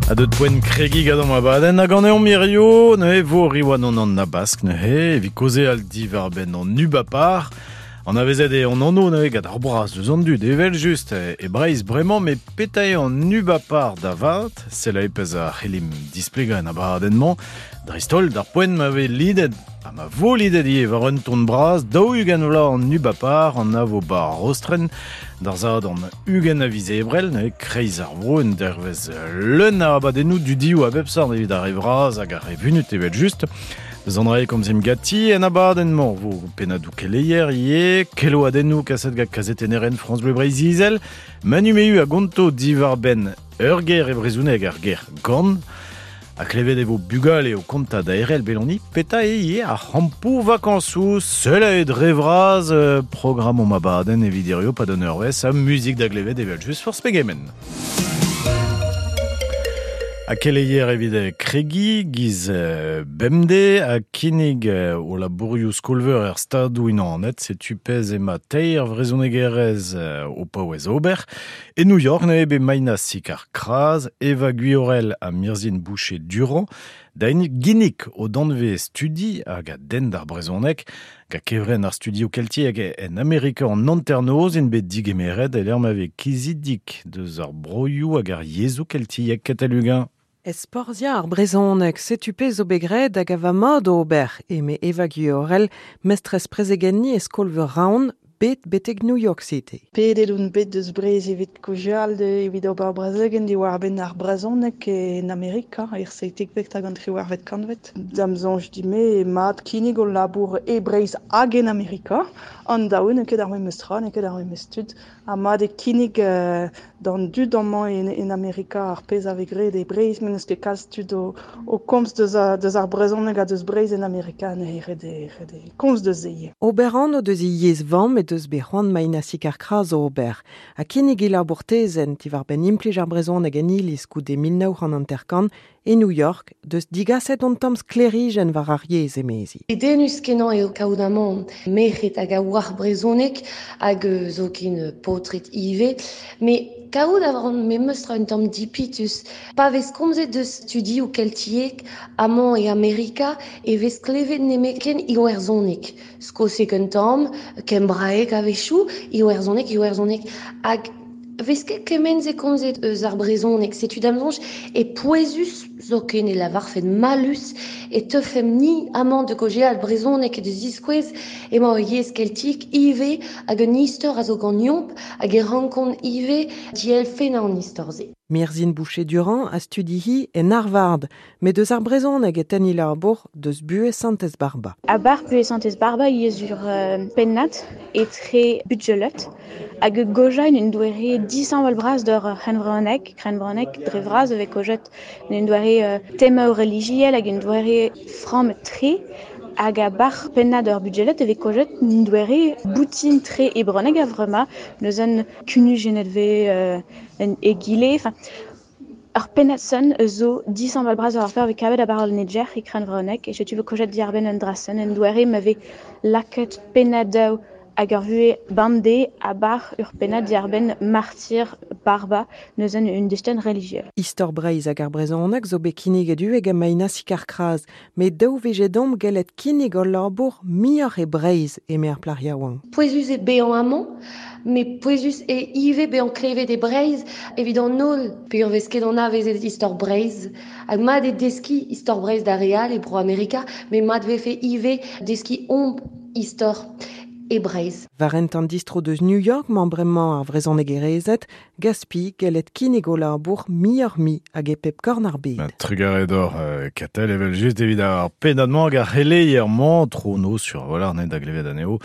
A deut poent kregi gant an abadenn hag an eon mirio, neuze vo riwan an an abask neuze, evit kaozeal diwar benn an ubapar. An avezet eo an anv neuze gant ar braz deus an dud, evel just e Breizh bremañ, met petra eo an ubapar da vat? Sell e pezh a c'hellimp displegañ en abadenn-mañ. Dreist-holl d'ar poent ma vez lidet, ha ma vo lidet ivez war un ton bras, 40 vloaz an ubapar, an avo bar Rostren, d'ar zadorn 20 a viz Ebrel, neuze kreiz ar vro, un dervezh leun a abadennoù dudioù a bep seurt evit ar re vras hag ar re vunut evel-just. Deus an dra e komzimp ganti en abadenn-mañ vo pennadoù keleier ivez, keloadennoù kaset gant kazetennerien France Bleu Breizh-Izel, Manu Mehu a gonto diwar-benn ur ger e brezhoneg, ar ger gant. Ha klevet e vo bugale o kontañ da Erel Beloni petra eo ivez ar c'hampoù vakañsoù seul eo dre vras programm omp abadenn evit hirio pad un eurvezh ha muzik da glevet evel-just forzh pegement. Ha keleier evit kregiñ giz bemdez ha kinnig o labourioù skol-veur er Stadoù-Unanet. Setu pezh emañ teir vrezhonegerez o paouez ober. E New York neuze bet Maina Sicard-Cras, Eva Guiorel ha Mirzhin Boucher-Durand da ginnig o danvez studi hag a denn d'ar brezhoneg. Gant kevrenn ar studioù keltiek en Amerika an hanternoz int bet digemeret e-lec'h ma vez kizidik deus ar broioù hag ar yezhoù keltiek katalugañ. Esporziañ ar brezhoneg, setu pezh zo bet graet hag a va mat ober, eme Eva Guiorel, mestrez prezegenniñ e skol-veur Raon, bet betek New York City. Pedet on bet deus Breizh evit kaozeal evit ober brezegenn diwar-benn ar brezhoneg en Amerika er seitekvet hag an triwec'hvet kantved. Da'm soñj din-me eo mat kinnig hol labour e Breizh hag en Amerika. An daou n'eo ket ar memes tra, n'eo ket ar memes tud. Ha mat eo kinnig d'an dud amañ en Amerika ar pezh a vez graet e Breizh, met n'eus ket kalz tud o komz deus ar brezhoneg ha deus Breizh en Amerika, neuze ret eo komz deus se ivez. Ober anv deus he yezh vamm he deus bet c'hoant Maina Sicard-Cras ober, ha kinnig he labour tezenn diwar-benn implij ar brezhoneg en iliz goude 1950 e New York, deus digaset un tamm sklêrijenn war ar yezh, emezi. Dedennus-kenañ eo kaout amañ merc'hed hag a oar brezhoneg hag zoken paotred ivez, met kaout a ran memes tra un tamm dipitus. Pa vez komzet deus studioù keltiek amañ e Amerika e vez klevet nemetken iwerzhoneg. Skoseg un tamm, kembraeg a-wechoù, iwerzhoneg, iwerzhoneg. Hag vez ket kement-se komzet eus ar brezhoneg. Setu da'm soñj e pouezus zoken e lavarfen mallus e teufemp-ni amañ da gaozeal brezhoneg da ziskouez emañ ur yezh keltiek ivez hag un istor a zo ganeomp hag e rankont ivez dielfennañ an istor-se. Mirzhin Boucher-Durand a studi-hi en Harvard, met deus ar brezhoneg e tenn he labour deus buhez Santez Barba. A-bar buhez Santez Barba ivez ur pennad etre budjelet hag gojañ un doare dishañval-bras d'ur c'hrennvrezhoneg, krennvrezhoneg dre vras e vez kojet en un doare temaoù relijiel hag un doare frammet-tre. Hag a-bar pennad ur budjelet e vez kojet un doare boutin-tre e brezhoneg a-vremañ. Neuze kunujennet vez egile. Enfin, ur pennad son zo dishañval-bras war ar fer vez kavet a-bar al Niger e krennvrezhoneg e setu vo kojet diarbenn un dra-sen en doare ma vez lakaet pennadoù hag ur vuhez bemdez a-bar ur pennad diarbenn martyr Barba neuze un destenn relijiel. Istor Breizh hag ar brezhoneg zo bet kinniget ivez gant Maina Sicard-Cras, met daou vije deomp gellet kinnig hol labour muioc'h e Breizh, eme ar plac'h yaouank. Pouezus eo bezañ amañ, met pouezus eo ivez bezañ klevet e Breizh evit an holl peogwir 'vez ket anavezet istor Breizh. Hag mat eo deskiñ istor Breizh d'ar re all e Bro-Amerika, met mat 'vefe ivez deskiñ omp istor e Breizh. War hent an distro deus New York 'mañ bremañ ar vrezhonegerezed, Gaspi, gellet kinnig o labour muioc'h-mui hag e pep korn ar bed. Trugarez deoc'h, Katell, evel-just evit ar pennad-mañ hag ar c'heleier-mañ, tro-noz sur a-walc'h ne da glevet anezho.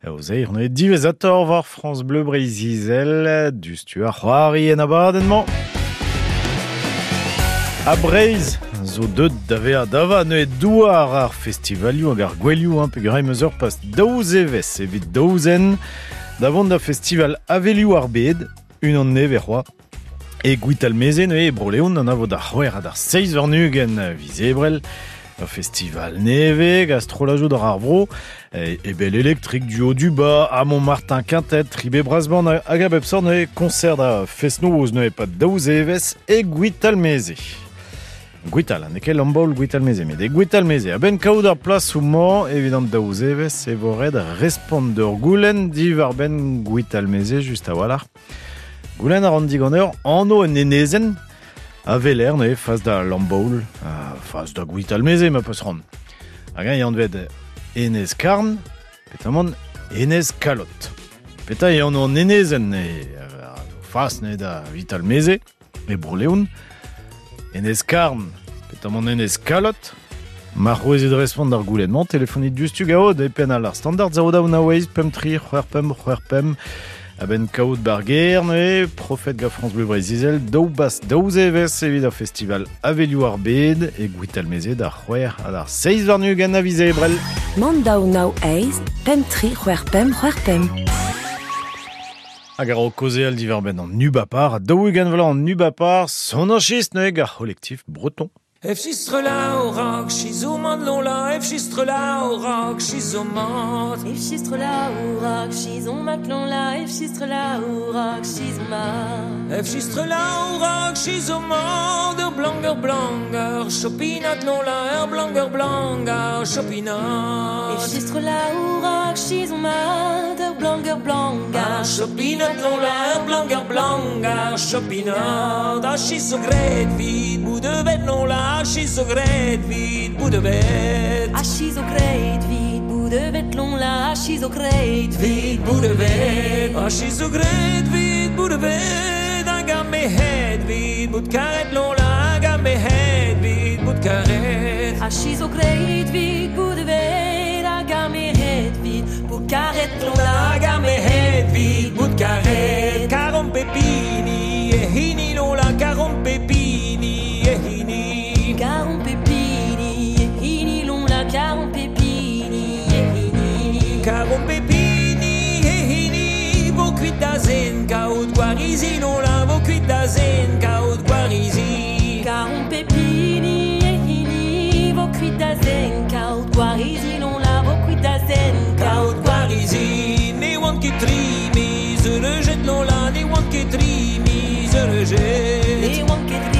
O zeir neuze diwezhatoc'h war France Bleu Breizh-Izel, diouzhtu ar c'hoari en abadenn-mañ. Ha Breizh zo deuet da vezañ da vat neuze douar ar festivalioù hag ar gouelioù, hein, peogwir em eus ur pas daou zevezh evit daou zen da vont da festival Avelioù ar Bed, unan nevez c'hoazh. E Gwitalmeze neuze, e Bro-Leon, an avo d'ar c'hwec'h ha d'ar seizh warn-ugent viz Ebrel. Ur festival neve, gastrolajoù d'ar ar vro, e bel elektrik duo du ba, Amon Martin Quintet, Tribe Brasband hag a bep sort neuze concert da fest-noz neuze pad daou zevezh e Gwitalmeze. Gwital, n'eo ket Lambaol Gwitalmeze, met e Gwitalmeze. A-benn kaout ar plasoù-mañ evit an daou zevezh e vo ret respont d'ur goulenn diwar-benn Gwitalmeze just a-walc'h. Goulenn a ran diganeoc'h anv un enezenn a weler neuze fas da Lambaol, fas da Gwitalmeze ma peus c'hoant. Hag eñ anvet Enez Karn, petamant Enez Kalot. Petra eo anv an enezenn neuze fas neuze da Witalmeze e Bro-Leon. Enez Karn, petamant Enez Kalot. Ma c'houezit respont d'ar goulenn-mañ, telefonit diouzhtu gaot e penn all ar standard 0 daou nav eizh pemp tri c'hwec'h pemp c'hwec'h pemp. A-benn kaout bar gêr neuze, profet gant France Bleu Breizh-Izel, daou bas daou zevezh evit ar festival Avelioù ar Bed e Gwitalmeze d'ar c'hwec'h ha d'ar seizh warn-ugent a viz Ebrel. Mann daou nav eizh pemp tri c'hwec'h pemp c'hwec'h pemp. Hag a-raok kaozeal diwar-benn an Ubapar, ha 40 vloaz an Ubapar, sonañchist neuze gant ar c'holektif breton. Efchistrelaorak, chizomat lola, Efchistrelaorak, chizomat. Efchistrelaorak, chizomat lola, Efchistrelaorak, chizomat. Efchistrelaorak, chizomat, ur blanger blanger, chopinat lola, ur blanger blanger, chopinat. Efchistrelaorak, chizomat, ur blanger blanger, chopinat lola, ur blanger blanger, chopinat. A chizo gret vid, boudevet lola, a chizo gret vid, boudevet. A chizo gret vid, boudevet lola, a chizo gret vid, boudevet. A chizo gret vid, boudevet, hag a me het vid, bout karet lola, hag a me het vid, bout karet. A chizo gret vid, boudevet, hag a me het vid, bout karet lola, hag a me het vid, bout karet. Karon pepini, e hini lola, karon pepini, e hini. Karon pepini, e hini lola, karon pepini, e hini. Karon pepini, e hini, vo kuit da zen, kaout gwarizi lola, vo kuit da zen, kaout gwarizi. Karon pepini, e hini, vo kuit da zen, kaout gwarizi lola, vo kuit da zen, kaout gwarizi. Ne oant ket tri miz ur jet lola, ne oant ket tri miz ur jet. Ne oant ket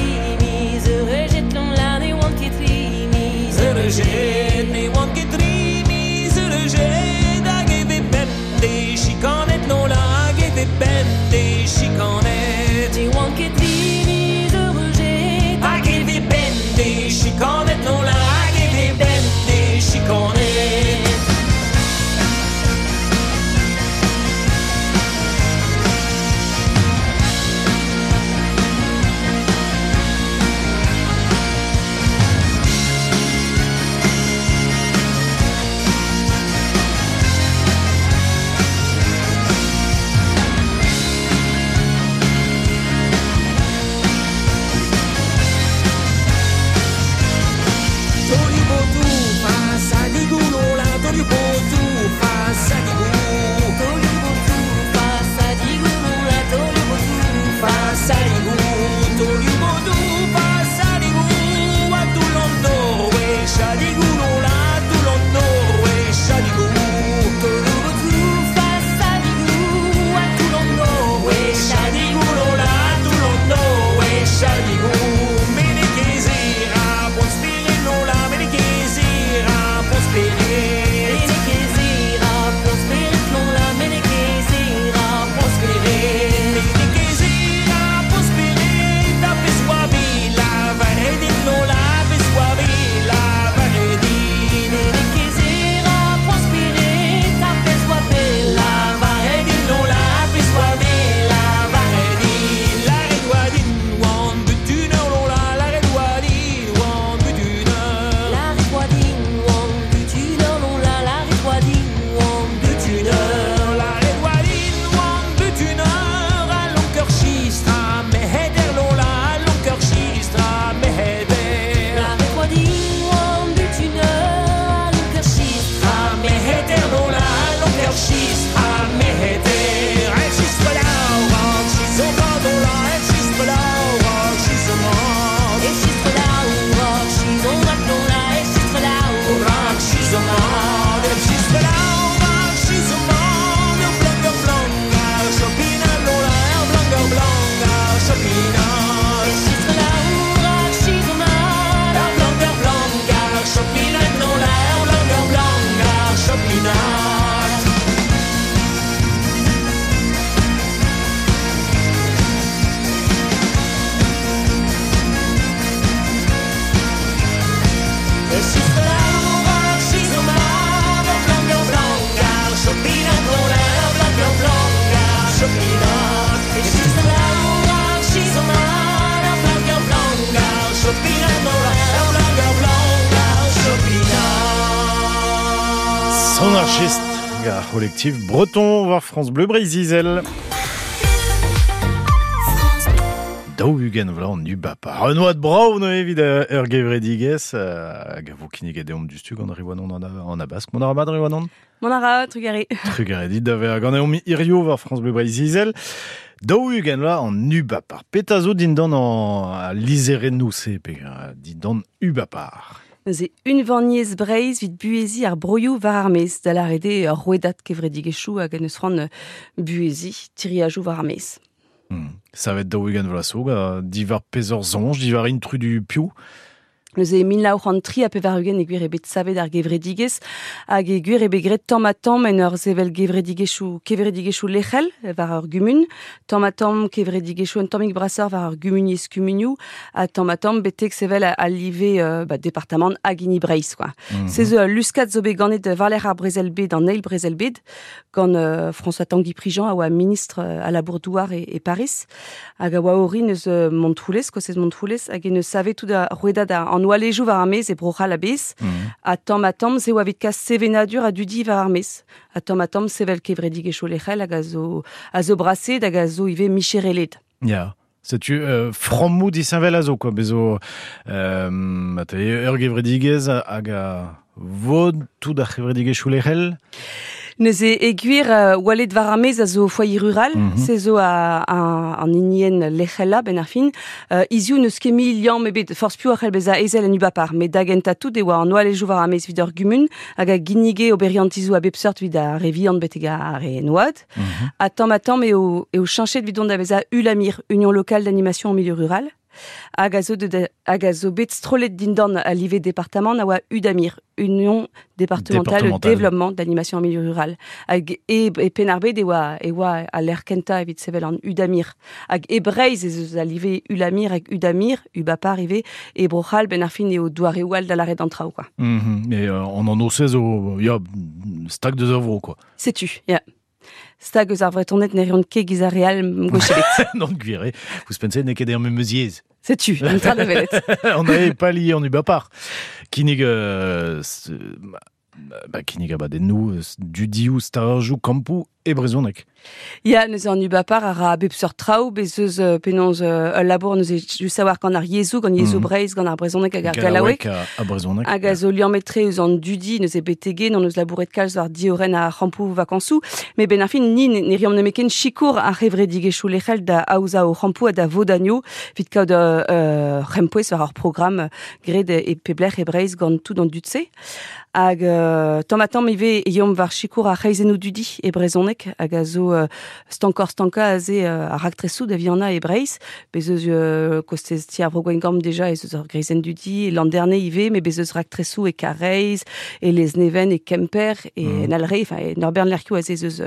Son archist gar collectif breton war France Bleu Breizh-Izel. Daou ugent vloaz an ubapar. Un oad brav neuze evit ur gevredigezh hag a vo kinniget deomp diouzhtu gant Riwanon an Abask. Mont a ra mat, Riwanon? Mont a ra, trugarez. Trugarez dit da vezañ ganeomp hirio war France Bleu Breizh-Izel. 40 vloaz an ubapar. Petra zo dindan an lizherennoù-se pe dindan ubapar? Neuze unvaniezh Breizh evit buheziñ ar broioù war ar maez, da lâret eo ur rouedad kevredigezhioù hag en deus c'hoant buheziñ tiriajoù war ar maez. Savet 40 vloaz zo, diwar peseurt soñj, diwar intrudu piv? Neuze 1983 e gwir eo bet savet ar gevredigezh hag e gwir eo bet graet tamm-ha-tamm en ur sevel gevredigezhioù kevredigezhioù lec'hel war ur gumun, tamm-ha-tamm kevredigezhioù un tammig brasoc'h war ur gumuniezh kumunioù ha tamm-ha-tamm betek sevel al live ba, departamant hag hini Breizh quoi. Se zo ul luskad zo bet ganet war-lerc'h ar brezel-bed, an eil brezel-bed, gant François Tanguy Prigent a oa ministr a labour-douar e Paris hag a oa orin eus Montroulez, kostez Montroulez, hag en deus savet tout ar rouedad an oalejoù war ar maez e Bro-C'hall a-bezh. Ha tamm-ha-tamm, se oa evit kas sevenadur ha dudi war ar maez. Ha tamm-ha-tamm sevel kevredigezhioù lec'hel hag a zo braset hag a zo ivez michereled. Ya. Setu frammoù disheñvel a zo, quoi. Bez zo ur gevredigezh hag a vod tout ar c'hevredigezhioù lec'hel. Neuze e gwir oaled war ar maez a zo foyer rural, se zo an hinienn lec'helañ benn ar fin. Hiziv n'eus ket mui liamm ebet, forzh piv a c'hell bezañ ezel en ubapar, met da gentañ tout e oa an oalejoù war ar maez evit ur gumun hag a ginnige oberiantizoù a bep seurt evit ar re vihan betek ar re en oad. Ha tamm-ha-tamm eo cheñchet evit dont da vezañ ULAMIR, Union locale d'animation en milieu rural, hag a zo hag a zo bet strollet dindan al live departamant a oa UDAMIR, Union départementale de développement d'animation en milieu rural. Hag e Penn-ar-Bed e oa al lec'h kentañ evit sevel an UDAMIR. Hag e Breizh ez eus al live ULAMIR hag UDAMIR, UBAPAR ivez, e Bro-C'hall benn ar fin eo doareoù all da lâret an traoù, quoi. Mais an anv-se zo, ya, stag deus ar vro, quoi. Setu, ya. Stag eus ar Vretoned ne reont ket giz ar re all gwech ebet. Non, gwir eo. Ouzhpenn-se n'eo ket er memes yezh. Setu, un dra da welet. On n'avait pas lié en ubapar. Kinnig, ba, kinnig abadennoù, dudioù, stajoù, kampoù e brezhoneg. Ya, neuze an ubapar a ra a bep seurt traoù, bez eus penaos ul labour neuze just savoir gant ar yezhoù, gant yezhoù Breizh, gant ar brezhoneg hag ar gallaoueg. Ha brezhoneg. Hag a zo liammet-tre eus an dudi, neuze betegen, hon eus labouret kalz war diorren ar c'hampoù vakañsoù, met benn ar fin, ni ne reomp nemetken sikour ar c'hevredigezhioù lec'hel da aozañ o c'hampoù ha da vodanioù evit kaout ur c'hempouez war ar programm graet e pep lec'h e Breizh gant tout an dud-se. Hag tamm-ha-tamm ivez e yeomp war sikour ar c'hreizennoù dudi e brezhoneg hag a zo stankoc'h-stankañ aze ar raktresoù da vihanañ e Breizh. Bez eus kostez ti ar Vro Gwengamp deja ez eus ur greizenn dudi, e Landerne ivez, met bez eus raktresoù e Karaez, e Lesneven, e Kemper, e en Alre, enfin e ur bern lec'hioù aze ez eus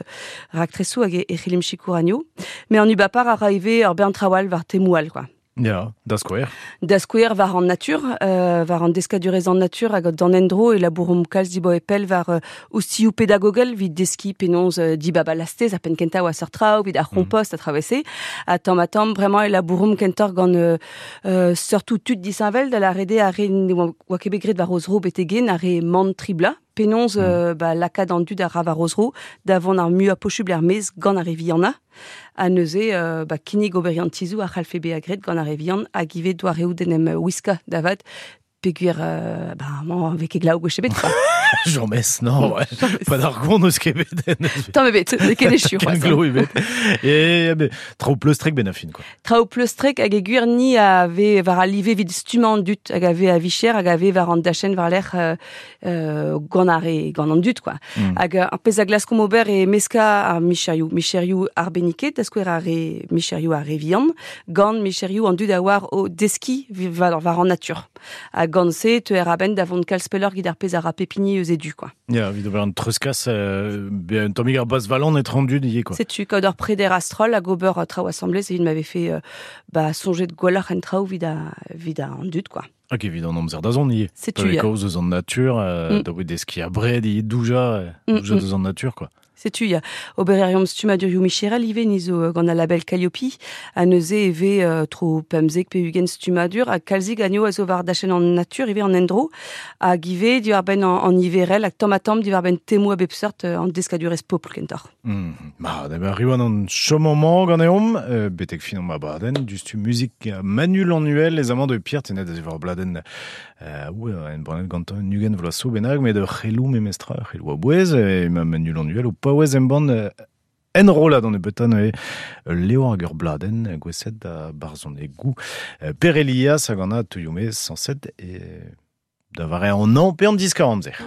raktresoù hag e c'hellimp sikour anezho. Met an ubapar a ra ivez ur bern traoù all war temoù all, quoi. Ya, da skouer. Da skouer war an natur, war an deskadurezh an natur hag d'an endro e labouromp kalz dibaoe pell war oustilhoù pedagogel evit deskiñ penaos dibab al lastez ar penn kentañ oa seurt traoù evit ar c'hompost a traoù-se. Ha tamm-ha-tamm bremañ e labouromp kentoc'h gant seurtoù tud disheñvel da lâret eo ar re ne oa ket bet graet war o zro betek-hen, ar re mann tri bloaz. Penaos ba, lakaat an dud a ra war o zro da vont ar muiañ posubl er-maez gant ar re vihanañ. Ha neuze ba, kinnig oberiantizoù a c'hallfe bezañ graet gant ar re vihan hag ivez doareoù d'en em wiskañ da vat peogwir ba, amañ vez ket glav gwech ebet, quoi. James, non, ouais. Pas d'ar gont eus ket bet. Tamm ebet, n'eo ket echu c'hoazh. Ken glo ebet. E, be, traoù pleustrek ben a fin, quoi. Traoù pleustrek hag e gwir ni a vez war al live evit stummañ an dud hag a vez a vicher hag a vez war an dachenn war-lerc'h gant ar re, gant an dud, quoi. Hag ar pezh a glaskomp ober eo meskañ ar micherioù, micherioù arbenniket, da skouer ar re micherioù ar re vihan, gant micherioù an dud a oar o deskiñ war an natur. Ha gant se, teuer a-benn da vont kalz pelloc'h evit ar pezh a ra pep hini eus e du, quoi. Ya, evit ober un treuzkas, un tammig ar bazhvalan etre an dud ivez, quoi. Setu, kaout ur preder a-stroll hag ober traoù asambles evit ma vefe ba, soñjet gwelloc'h en traoù evit an dud, quoi. Hag evit an amzer da zont ivez. Setu, ya. Kaoz eus an natur, da vout deskiñ abred ivez, doujañ, doujañ deus an natur, quoi. Setu ya obereriom stumadurioù micherel ive ni zo gant al label Calliope a neuze eve tro pemzek pe ugent stumadur a kalzig anio a zo war dachen an natur ive an endro hag ive diwar ben an iverel hag tamm a tamm diwar ben temo a bep seurt an deskadurez popl kentoc'h. Ma, da ben riwan an chomomant ganeomp, betek fin an abadenn, dustu muzik Manu Lannuel, les amants de Pierre, tenet da war bladenn ou en branet gantañ nugen vloaz so bennak, met ur c'helou memestra, ur c'helou a bouez, e ma Manu Lannuel o paouez embann enrollad an ebetan e leo hag ur bladenn gweset da barzon e gou Per Elias hag an a touioume 107 e da vare an an pe an diskar amzer.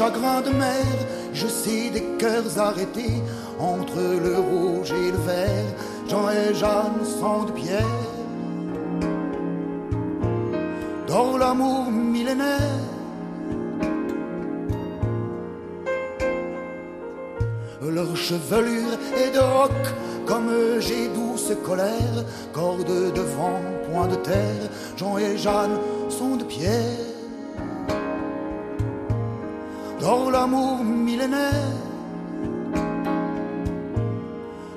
Chagrins de mer, je sais des cœurs arrêtés entre le rouge et le vert, Jean et Jeanne sont de pierre. Dans l'amour millénaire, leur chevelure est de roc, comme j'ai douce colère, corde de vent, point de terre, Jean et Jeanne sont de pierre. Dans l'amour millénaire,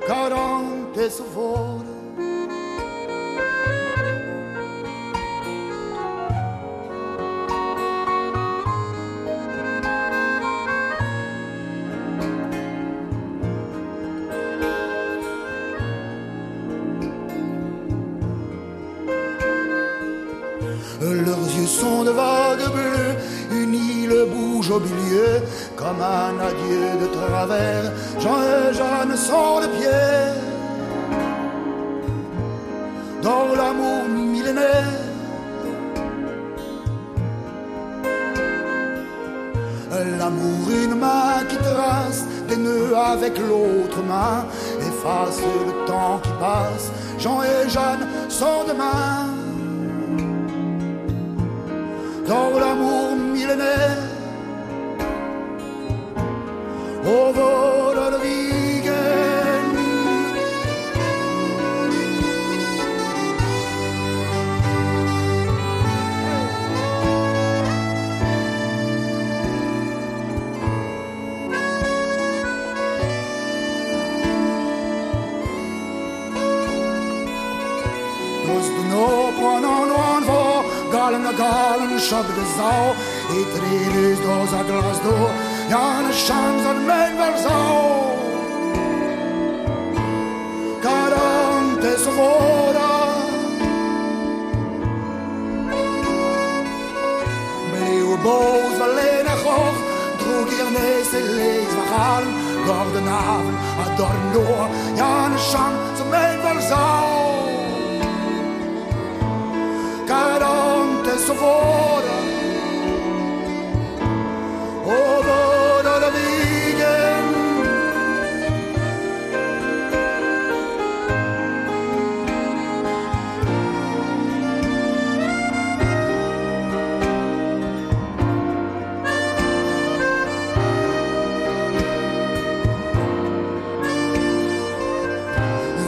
40 vor. Leurs yeux sont de vagues bleues, une île bouge au milieu, comme un adieu de travers, Jean et Jeanne sont de pierre. Dans l'amour millénaire, l'amour une main qui trace des nœuds avec l'autre main, efface le temps qui passe, Jean et Jeanne sont de main. Dans l'amour millénaire, au vol de Vigen. Dos de no pronon on vo, galen a galen shab de zau, et trilus dos a glas do, Jan chans an men val zau. Carantes vora, Bleu boos valena goch, droeg hier nes e lees verhalen, Gordenhaven a dorno, Jan chans an men val zau. Carantes vora, over de Vigen.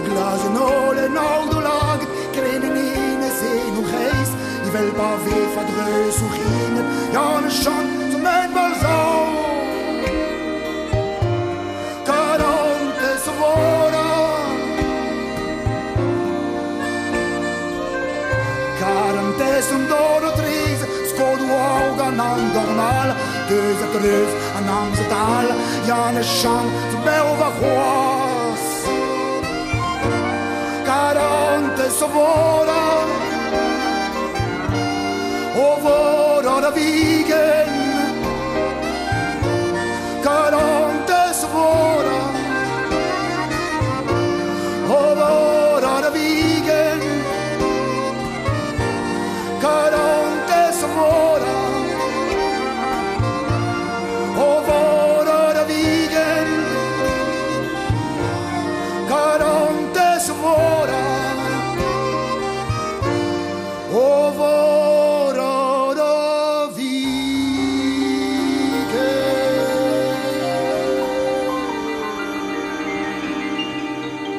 Glazen ole noordelag, krenen in en zee nog reis, die wel pa wee van dreus hoe gingen, Jan Chan zo mijn wel zo. Carantes vora, Carantes un doro tris, skodu augan an dornal, deus a treus an amzetal, Jan Chan zo bel va c'hoaz. Carantes vora, over de Vigen. Carantes vora, over de Vigen. Carantes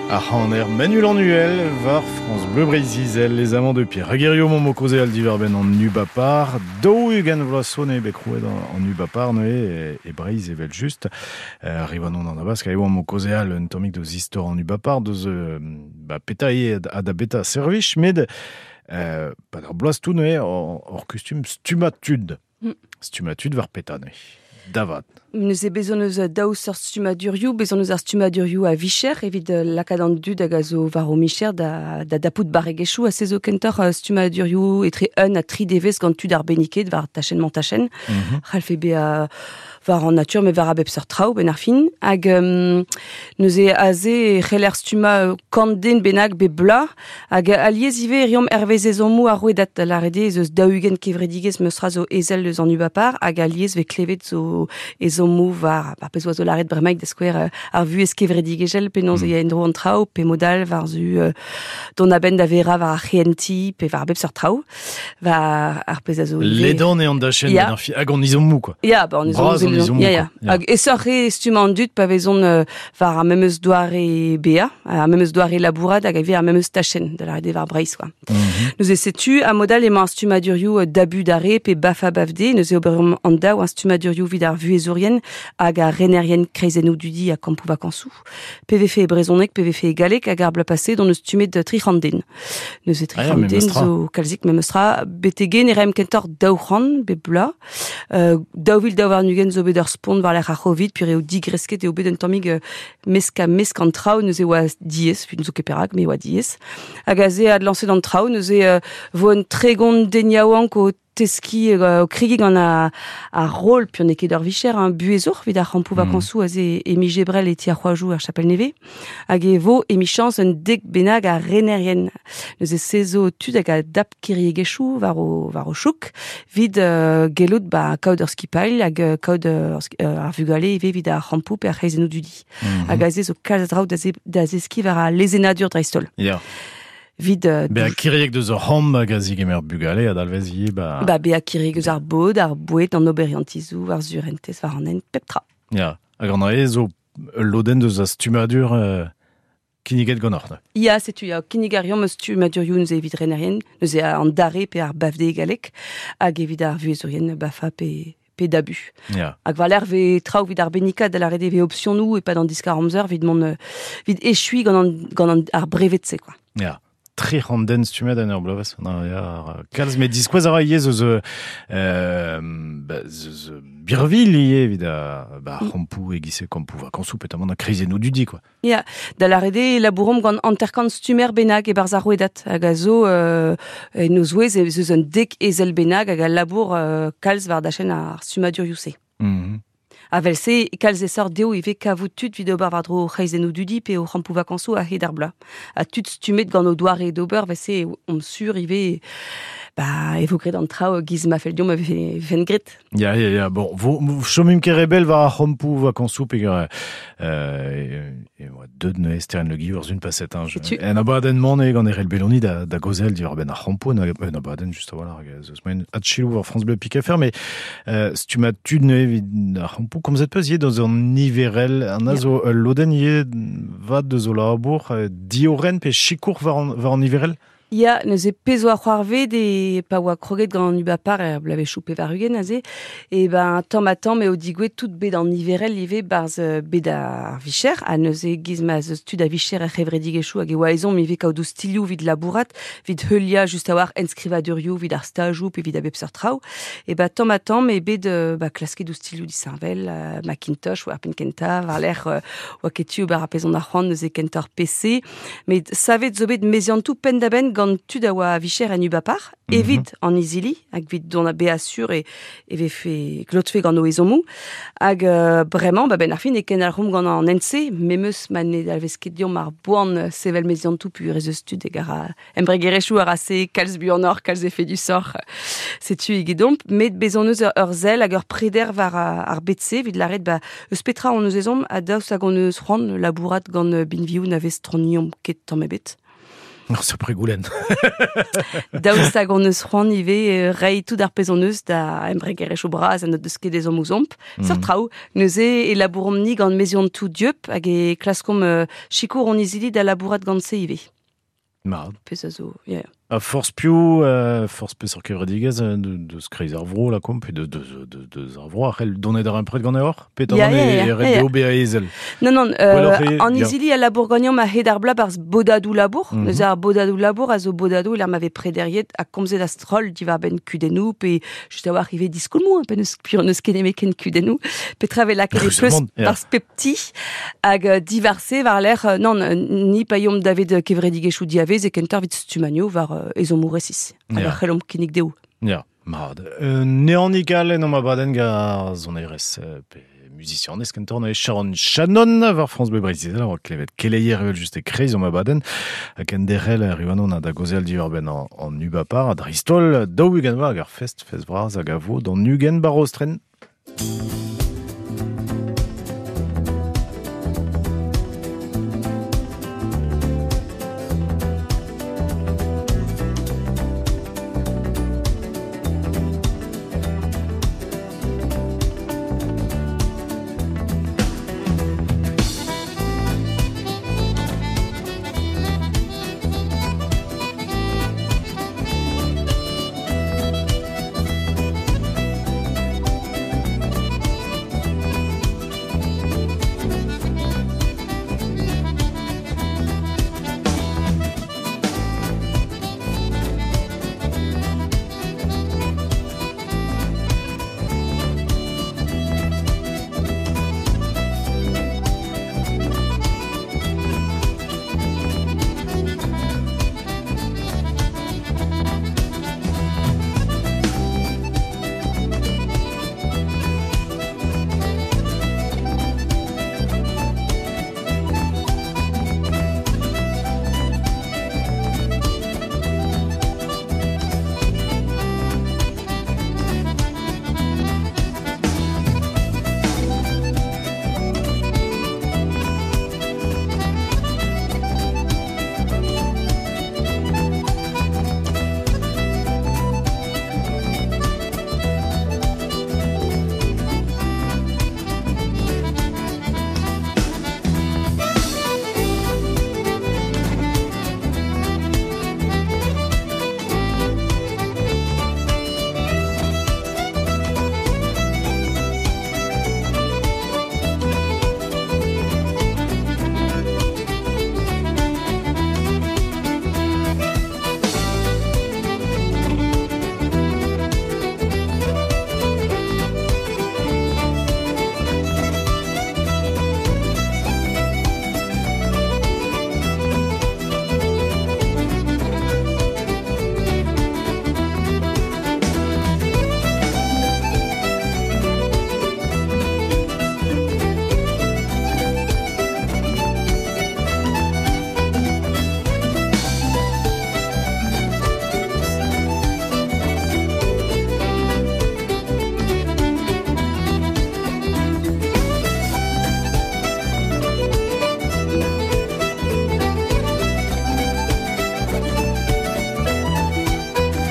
Ar c'haner Manu Lannuel war France Bleu Breizh-Izel, les amants de Pierre. Hag hirio omp o kaozeal diwar-benn an Ubapar, 40 vloaz zo eo bet krouet an Ubapar neuze e Breizh evel just. Riwan on an Abask, hag omp o kaozeal un tammig deus istor an Ubapar, deus ba peta eo ha da beta servij, met 'pad ar bloaz tout neuze hor kustum stummañ tud. Stummañ tud war peta neuze. Davat. Neuze bez' hon eus daou seurt stummadurioù, bez' hon eus ar stummadurioù a vicher evit lakaat an dud hag a zo war o micher da dapout barregezhioù ha se zo kentoc'h stummadurioù etre un ha tri devezh gant tud arbenniket war tachenn-mañ-tachenn. C'hallfe bezañ war an natur met war a bep seurt traoù benn ar fin. Hag neuze aze e c'heller stummañ kant den bennak bep bloaz. Hag alies ivez e reomp hervez ezhommoù ar rouedad, da lâret eo ez eus 40 kevredigezh meustra zo ezel eus an Ubapar hag alies vez klevet zo ezhommoù war ar pezh oa zo lâret bremaik da skouer ar vuhez kevredigezhel penaos e ya en-dro an traoù pe mod all war-zu dont a-benn da verañ war ar c'hehentiñ pe war a bep seurt traoù war ar pezh a zo ivez. Ledan eo an dachenn Ya. benn ar fi hag an ezhommoù quoi. Ya, ba an ezhommoù Bras an zo ezhommoù Ya, quoi. ya. Ya. Hag aesoc'h eo stummañ an dud pa vezont war ar memes doare bezañ, ar memes doare labourat hag ivez ar memes tachenn, da lâret eo war Breizh quoi. Neuze setu ha mod all emañ ar stummadurioù dabu d'ar re pe bafa bafde, neuze ober an daou ar stummadurioù evit ar vuhezourien hag ar renerien kreizennoù dudi ha kampoù vakañsoù. Pe vefe e brezhoneg, pe vefe e galleg hag ar bloaz paset hon eus stummet 300 den. Neuze Ah ya, 300 den memes tra. zo kalzik memes tra. Betek ne raemp kentoc'h 200 bep bloaz. 2022 zo bet ur spont war-lerc'h ar C'hovid, puis eo digresket eo bet un tammig mesk ha mesk an traoù, neuze oa diaes, puis n'zo ket perak, mais oa diaes. Hag aze adlañset an traoù, neuze vo un tregont den yaouank o teskiñ o kregiñ gant ar roll, puis n'eo ket ur vicher, hein, buhezour evit ar c'hampoù vakañsoù aze e miz Ebrel e ti ar c'hoajoù er Chapel-Nevez. Hag e vo emichañs un dek bennak a renerien. Neuze se zo tud hag a dap kiriegezhioù war o chouk, evit gellout ba kaout ur skipailh hag kaout ar vugale ivez evit ar c'hampoù pe ar c'hreizennoù dudi. Hag aze zo kalz a draoù da zeskiñ war al lezennadur dreist-holl. Vid Bezañ kiriek deus ur c'hamp hag a zigemer bugale a dalvez ivez ba... Ba bezañ kiriek eus ar bod, ar boued, an oberiantizoù, ar surentez, war an hent, pep tra. Ya, hag an dra-se zo ul lodenn deus ar stummadur kinniget ganeoc'h, ne? Ya, setu, ya, kinnig a reomp stummadurioù neuze evit renerien, neuze an dare pe ar bafde galleg, hag evit ar vuhezourien bafa pe dabu. Hag war-lerc'h vez traoù evit ar bennikat da lâret eo vez opsionoù e-pad an diskar amzer evit mont evit echuiñ gant an, ar brevet-se, quoi. Ya. 300 den stummet en ur bloavezh. Non, ya, kalz, met diskouez a ra ivez eus, ba, eus, birvilh ivez evit a, ba, c'hampoù e-giz kampoù vakañsoù, petamant a kreizennoù dudi, quoi. Ya, da lâret eo labouromp gant hanter-kant stummer bennak e-barzh ar rouedad, hag a zo en o zouez ez eus un dek ezel bennak hag a labour kalz war dachenn ar stummadurioù-se. A vel-se, kalz aesoc'h dezho ivez kavout tud evit ober war-dro c'hreizennoù dudi pe o c'hampoù vakañsoù a-hed ar bloaz. Ha tud stummet gant o doare d'ober, vel-se omp sur ivez, ba, e vo graet an traoù giz ma fell deomp e vefe graet. Ya, ya, ya, bon, vo, chomimp ket re bell war ar c'hampoù vakañsoù peogwir e oa deut neuze Sterenn Le Guillou ur zun paset, hein, je, Setu. en abadenn-mañ eo gant Erell Belloni da gaozeal diwar-benn ar c'hampoù, en abadenn just a-walc'h, hag ez eus moaien adchiloù war France Bleu Pic FR, mais stummat tud neuze evit ar c'hampoù, komzet peus ivez deus an niverel, an a zo ul lodenn ivez vat deus o labour, diorren pe sikour war an niverel? Ya, neuze pezh oa c'hoarvet e pa oa kroget gant an Ubapar er bloavezhioù pevar-ugent aze, e ben tamm ha tamm eo digouezet tout bet an niverel ivez barzh bet ar vicher, ha neuze giz ma 'z eus tud a vicher er c'hevredigezhioù hag e oa ezhomm ivez kaout oustilhoù evit labourat, evit heuliañ just a-walc'h enskrivadurioù evit ar stajoù pe evit a bep seurt traoù. E ben tamm ha tamm eo bet ba, klasket oustilhoù disheñvel, Macintosh war penn kentañ, war-lerc'h oa ket tu ober ar pezh on ar c'hoant neuze kentoc'h PC, met savet zo bet meziantoù penn-da-benn gant tud a oa a vicher en Ubapar, evit an izili, hag evit dont a bezañ sur e vefe klotfe gant o ezhommoù. Hag bremañ, ba, benn ar fin, e kendalc'homp gant an hent-se, memes ma ne dalvez ket deomp ar boan sevel meziantoù pur ez eus tud hag a ra embregerezhioù a ra se kalz buanoc'h, kalz efedusoc'h. Setu egedomp, met bez' hon eus ur sell hag ur preder war ar bed-se, evit lâret, ba, eus petra hon eus ezhomm, ha daoust hag hon eus c'hoant labourat gant binvioù na vez troniomp ket tamm ebet. Ur sapre goulenn. Daoust hag hon eus c'hoant ivez reiñ tout ar pezh hon eus da embregerezhioù bras ha n'o deus ket ezhomm ouzhomp. Seurt traoù. Neuze e labouromp-ni gant meziantoù dieub hag e klaskomp sikour hon izili da labourat gant se ivez. Mat. Pezh a zo, ya. Ha forzh piv, forzh peseurt kevredigezh deus kreiz ar vro, lakaomp, pe deus ar vro a c'hell donet da rempred ganeoc'h? Pe Ya, ya, ya, e ret ya. dezho bezañ ezel? Non, non, Gwelloc'h eo, an ya. izili a labour ganeomp a-hed ar bloaz barzh bodadoù labour. Neuze ar bodadoù labour a zo bodadoù e lec'h ma vez prederiet ha komzet a-stroll diwar-benn kudennoù pe just a-walc'h ivez diskoulmoù, hein, pe n'eus piv n'eus ket nemet ken kudennoù. Petra vez lakaet e pleustr Heureusement, ya. barzh pep ti hag diwar-se war-lerc'h, non, ni pa yomp davet kevredigezhioù diavez e kentoc'h evit stumagno war ezhommoù resis. Hag Ya. a c'hellomp kinnig dezho. Ya, mat. Neanik all en omp abadenn gant sonerezh pe musicianez kentoc'h neuze Sharon Shannon war France Bleu Breizh Izel, a oa klevet keleier evel just e kreiz omp abadenn hag kenderc'hel Riwanon ha da gaozeal diwar-benn an ubapar ha dreist-holl 40 vloaz hag ar fest fest vras hag a vo d'an 20 bar Rostren.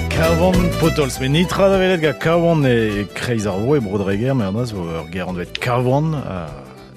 Kavan Potols, met nitra da welet gant Kavan e kreiz ar vro e Bro-Dreger, met an zo ur ger anvet Kavan,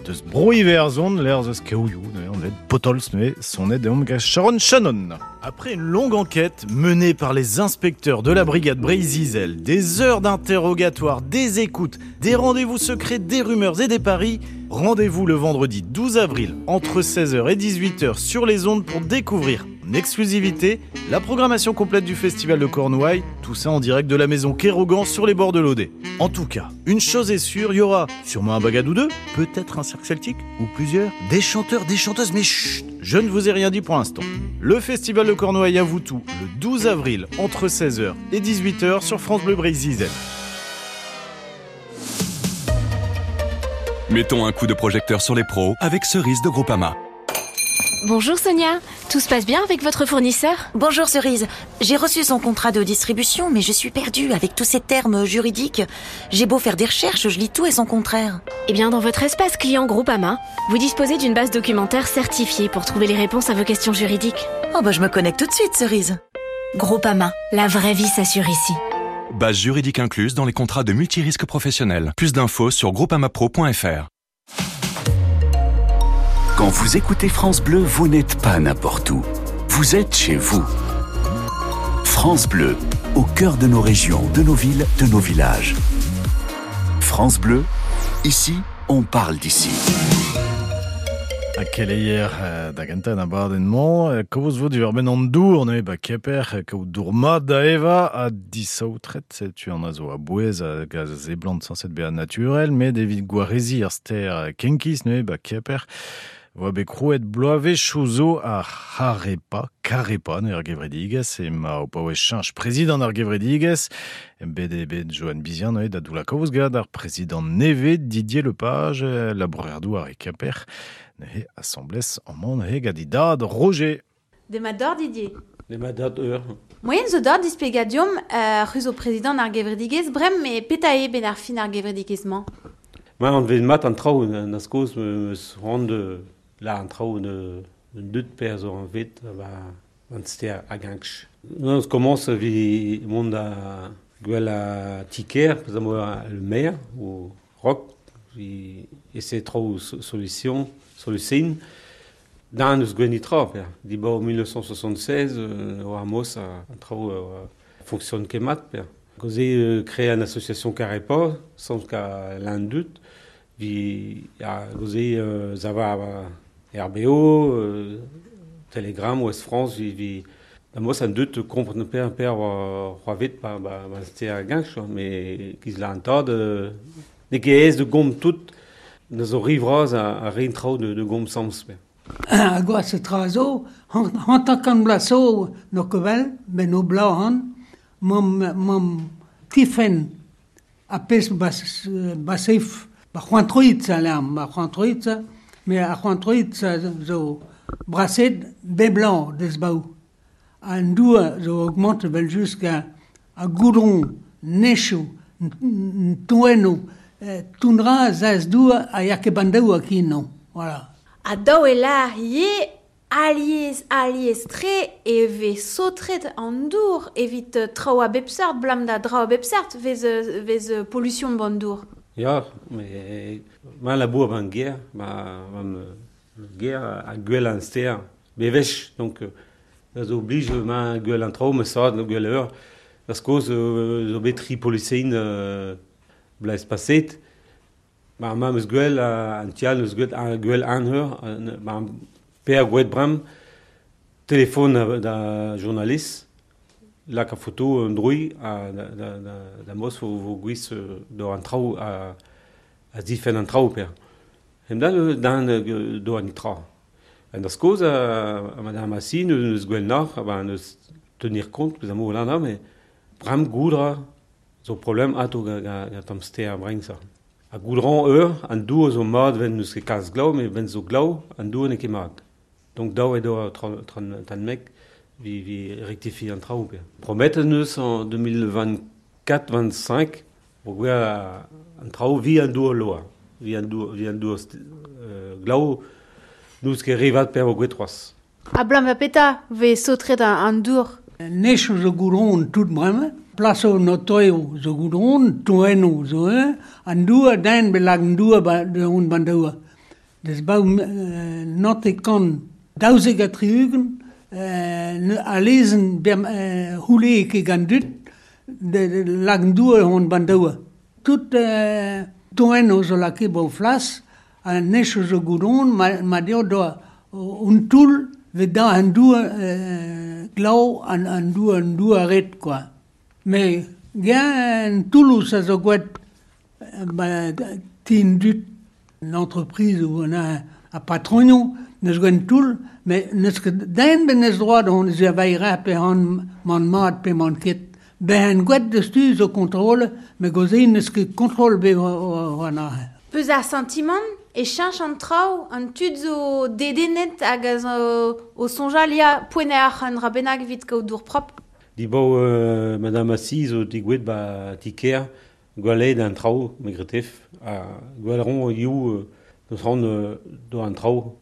deus bro Iwerzhon, l'air eus Kaouioù, neuze anvet Potols, neuze sonet deomp gant Sharon Shannon. Après une longue enquête menée par les inspecteurs de la brigade Breizh-Izel, des heures d'interrogatoire, des écoutes, des rendez-vous secrets, des rumeurs et des paris, rendez-vous le vendredi 12 avril entre 16h et 18h sur les ondes pour découvrir en exclusivité la programmation complète du Festival de Cornouailles, tout ça en direct de la maison Kérogan sur les bords de l'Odet. En tout cas, une chose est sûre, il y aura sûrement un bagad ou deux, peut-être un cirque celtique ou plusieurs, des chanteurs, des chanteuses, mais chut, je ne vous ai rien dit pour l'instant. Le Festival de Cornouailles à Voutou, le 12 avril, entre 16h et 18h sur France Bleu Breizh Izel. Mettons un coup de projecteur sur les pros avec Cerise de Groupama. Bonjour Sonia, tout se passe bien avec votre fournisseur? Bonjour Cerise, j'ai reçu son contrat de distribution, mais je suis perdue avec tous ces termes juridiques. J'ai beau faire des recherches, je lis tout et son contraire. Eh bien, dans votre espace client Groupama, vous disposez d'une base documentaire certifiée pour trouver les réponses à vos questions juridiques. Oh bah je me connecte tout de suite, Cerise. Groupama, la vraie vie s'assure ici. Base juridique incluse dans les contrats de multirisque professionnel. Plus d'infos sur groupamapro.fr. Quand vous écoutez France Bleu, vous n'êtes pas n'importe où. Vous êtes chez vous. France Bleu, au cœur de nos régions, de nos villes, de nos villages. France Bleu, ici, on parle d'ici. A keleier da gentañ abadenn-mañ, kaoz vo diwar-benn an dour neuze ba Kemper, kaout dour mat da evañ ha disaotret, setu an a zo a-bouez hag a seblant sañset bezañ naturel, met evit gwareziñ ar stêr Kenkiz neuze ba Kemper, oa bet krouet bloavezhioù zo ar C'harepa, Karepa neuze ar gevredigezh, emañ o paouez cheñch prezidant ar gevredigezh, bet eo bet Joanne Bizien neuze da doullañ kaoz gant ar prezidant nevez Didier Lepage, labourer-douar e Kemper, neuze asambles amañ neuze gant e dad Roger. Demat deoc'h Didier. Demat deoc'h eur. Moaien zo deoc'h displegañ deomp c'hwi zo prezidant ar gevredigezh bremañ met petra eo benn ar fin ar gevredigezh-mañ? Ma anvet mat an traoù na skoz meus c'hoant la an traoù un dud per zo anvet ba an ster hag ankch. Nous commence vi mont da gwell a ti-kêr, peus am le maire ou rock vi essaie traoù solution solution Dan eus gwenn tra, per. Dibaoe 1976, oa ar mos an traoù fonctionne ket mat, per. Gouze créer une association Carepa, sans ka l'indut, vi a gouze zava RBO, Telegram, Ouest France, vi vi da mos an dut kompren per per oa vet ba ba ba ste ar ganch, mais giz la an tad ne ket aes de gom tout, na zo rivraz a rin traoù de gom sams, per. A gwas tra zo, hanter-kant bloaz zo n'o ket vel, ben o bloaz han, mam, mam tifenn a pezh bas, basef, ba c'hoant troit a lerm, ba c'hoant troit, mais ar c'hoant troit zo braset bep bloaz deus baou. An dour zo augmente vel just a goudron, nechoù, toennoù, toundra zaz dour a ya ket bandaoù a kin non. Voilà. Ha daou e lâr ivez alies, alies-tre e vez saotret an dour evit traoù a bep seurt, 'blam da draoù a bep seurt vez vez pollution ban dour. Ya, met ma labour ban gêr, ma gêr a gwell an stêr bewech, donc da zo blij ma gwell an traoù, ma sad gwell eur, da skoz zo bet tri polisein blez paset. Ma ma meus gwell an tial meus gwell ar gwell an eur, ma per gwet brem, telefon da journalist, lak a foto un drui a da, da, da, da mos vo, vo gwiz do an traoù a zifenn an traoù per. Hem da dan do an tra. An da skoz a madame Assi neus gwell noc'h, ba neus tenir compte, peus amo lana, mais brem goudra zo problem ato ga, ga, ga tamm ster breng sa. A goudran eur, an dour zo mat ven neus ket kalz glav, met ven zo glav, an dour n'eo ket mat. Donc daou eo do tran mek vi, vi rectifier an traoù. Promet neus en 2024-25, vo gwell an traoù vi an dour loa. Vi an dour, vi an dour glav, neus ket revat per vo gwet c'hoazh. Ha blam va petra vez saotret an dour? Nech zo goudron tout bremañ, plaso notoio zo goudron, toenno zo an dour den belag an dour ba de hon ban dour. Des baou note kan daouzek ha tri-ugent, a lezen ber houle ket gant dud, de lag an dour hon ban dour. Tout toenno zo lake bo flas, an nech zo goudron, ma deo doa un toull vet da an dour glav an dour an dour ret quoi. Mais gen Toulouse a zo gwet ba tin dut l'entreprise où on a a patronio neus gwen toull, mais neus ket den ben neus droit hon ze vaira pe hon man mat pe man ket. Ben gwet deus tu zo contrôle, mais goze neus ket contrôle be o an. Peus ar sentiment e cheñch an traoù, an tud zo dedennet hag a zo o soñjal ya poent eo ar an dra bennak evit kaout dour propr. Dibaou Madame Assis zo degouezhet ba ti-kêr, gwallet an traoù, me gretef, ha gwell ron hiziv deus c'hoant d'ober an traoù.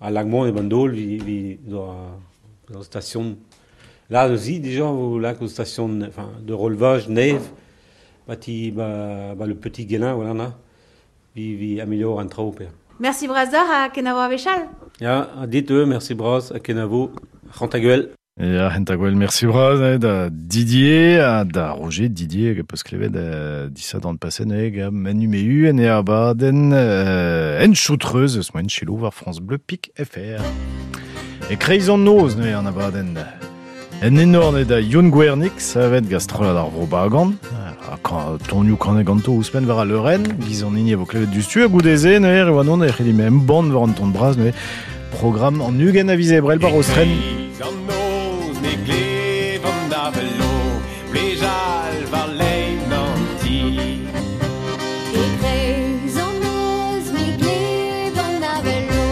Ha lak-mont e Bandol vi d'ober ur station. Là aussi déjà vo lak ur station enfin de relevage nev ba ti ba, ba le petit Guélin voilà na vi vi amelior an traoù per. Merci bras deoc'h ha kenavo a-wechall. Ya, ha dit eo, merci bras ha kenavo, C'hantagwel. Ya, C'hantagwel, merci bras eh, da Didier ha da Roger Didier hag peus klevet eh, disadorn paset neuze gant Manu Mehu en e abadenn eh, en choutreuz eus moen chelo war France Bleu Pik FR. E kreiz an noz neuze an abadenn. En enor neuze da Youn Gwernig, savet gant strollad ar Vro Bagan. Ha tonioù kanet ganto ouzhpenn war al leurenn, giz an hini a vo klevet diouzhtu ha goude-se neuze e oa non e c'hellimp embann war an ton bras neuze programm an 20 a viz Ebrel war Rostren. E-kreiz an noz me glev an avel o vlejal war lein an ti. E-kreiz an noz me glev an avel o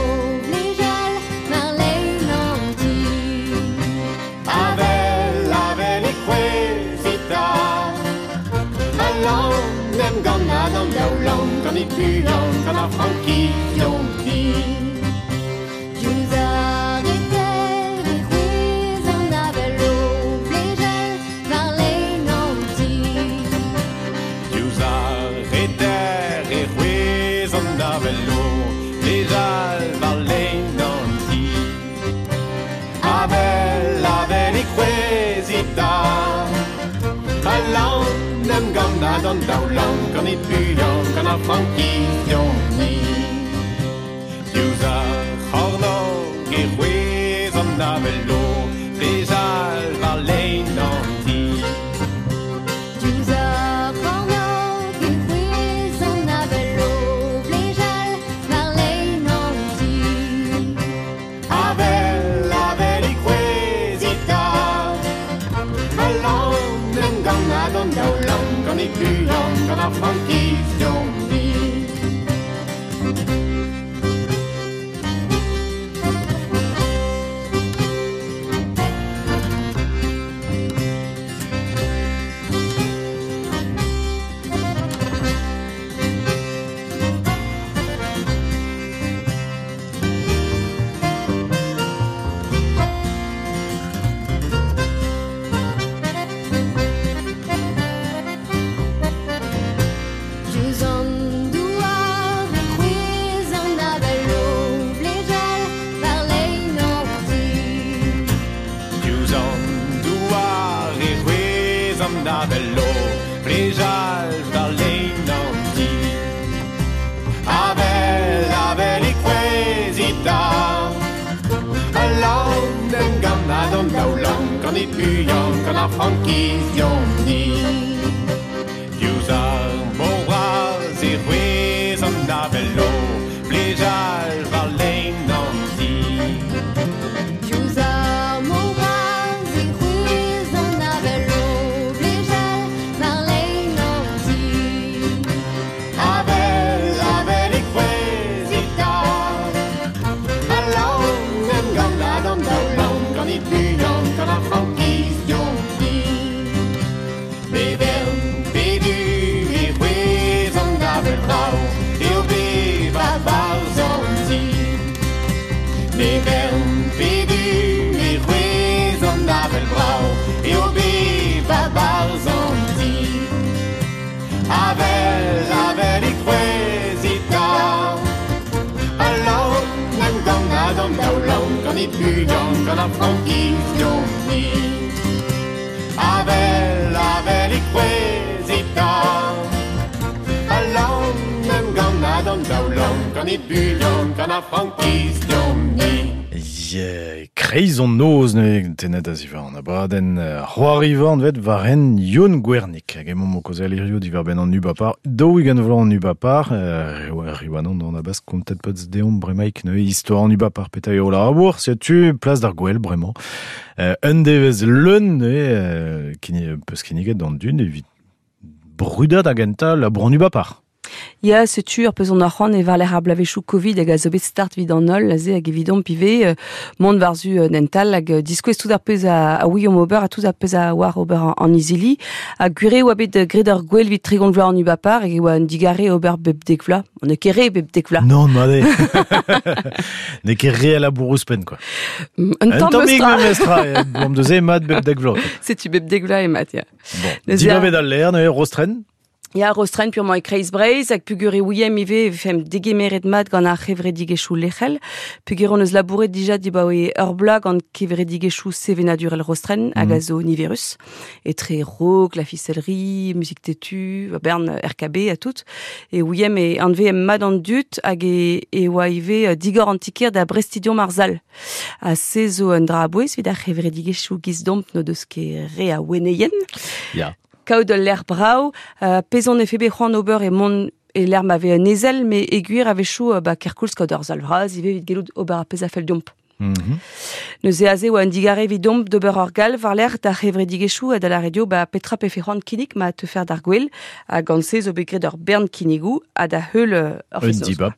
vlejal war lein an ti. Avel, avel e c'hwezhit 'ta. Alan em gannad an daoulamm gant e buan gant ar frankiz deomp-ni. Diouzh ar reter e c'hwezh an avel o vlejal war lein an ti. Diouzh ar reter e c'hwezh an avel o vlejal war lein an ti. Avel, avel e c'hwezhit 'ta. Alan em gannad an daoulamm gant e buan gant ar frankiz deomp-ni. Diouzh ar c'hornôg e c'hwezh an avel o vlejal war lein an ti. Diouzh ar c'hornôg e c'hwezh an avel o vlejal war lein an ti. Avel, avel e c'hwezhit 'ta. Alan em gannad an daoulamm gant e buan gant ar frankiz deomp-ni. Diouzh an douar e c'hwezh an avel o vlejal war lein an ti. Diouzh an douar e c'hwezh an avel o vlejal war lein an ti. Avel, avel e c'hwezhit 'ta. Alan em gannad an daoulamm gant e buan gant ar frankiz deomp-ni. Diouzh ar mor bras e c'hwezh an avel o vlejal war lein an ti. Diouzh ar mor bras e c'hwezh an avel o vlejal war lein an ti. Avel, avel e c'hwezhit 'ta. Alan em gannad an daoulamm gant e buan gant ar frankiz deomp-ni. Me vern pe du e c'hwezh an avel brav eo bevañ 'barzh an ti. Me vern pe du e c'hwezh an avel brav eo bevañ 'barzh an ti. Avel, avel e c'hwezhit 'ta. Alan em gannad an daoulamm gant e buan gant ar frankiz deomp-ni. Avel, avel e c'hwezhit 'ta. Alan em gannad an daoulamm gant e buan gant ar frankiz deomp-ni. Yeah, kreiz an noz neuze tennet a ziwar an abadenn c'hoariva anvet war hent Youn Gwernig. Hag emaomp o kaozeal hiziv diwar-benn an ubapar, 40 vloaz an ubapar, Riwanon an Abask kontet peus deomp bremaik neuze istor an ubapar petra eo labour, setu plas d'ar gwel bremañ. Un devezh leun neuze peus kinniget d'an dud evit brudañ da gentañ labour an ubapar. Ya, setu ur pezh on ar c'hoant e war-lerc'h ar bloavezhioù Covid hag a zo bet start evit an holl aze hag evidomp ivez mont war-zu un hent all hag diskouez tout ar pezh a ouiomp ober ha tout ar pezh a oar ober an izili. Ha gwir eo oa bet graet ur gwel evit 30 vloaz an ubapar hag e oa un digarez ober bep dek vloaz. On n'eo ket re bep dek vloaz. Non, mat eo. N'eo ket re a labour ouzhpenn, quoi. Un tamm tammig memestra. Blam deus eo mat bep dek vloaz. Setu bep dek vloaz eo mat, ya. Bon, dibabet al lec'h, neuze Rostren. Ya, Rostren purement e kreiz Breizh, hag pugur e ouiemp ivez e vefemp degemeret mat gant ar c'hevredigezhioù lec'hel. Pugur hon eus labouret dija dibaoe ur bloaz gant kevredigezhioù sevenadurel Rostren hag a zo niverus. Etre rock, la ficellerie, musique têtue, bern RKB ha tout. E ouiemp e anveemp mat an dud hag e, e oa ivez digor an ti-kêr da brestidiomp ar sal. Ha se zo un dra a-bouez evit ar c'hevredigezhioù giz-domp n'o deus ket re a wenneien. Ya. Kaout ul lec'h brav, pezh on efe bet c'hoant ober e mont e lec'h ma vez un ezel, met e gwir a-wechoù ba kerkoulz kaout ur sal vras ivez evit gellout ober ar pezh a fell deomp. Neuze aze oa un digarez evidomp d'ober ur galv war-lerc'h d'ar c'hevredigezhioù ha da lâret eo ba petra pefe c'hoant kinnig ma teufer d'ar gwel. Ha gant se zo bet graet ur bern kinnigoù ha da heul ur Un dibab.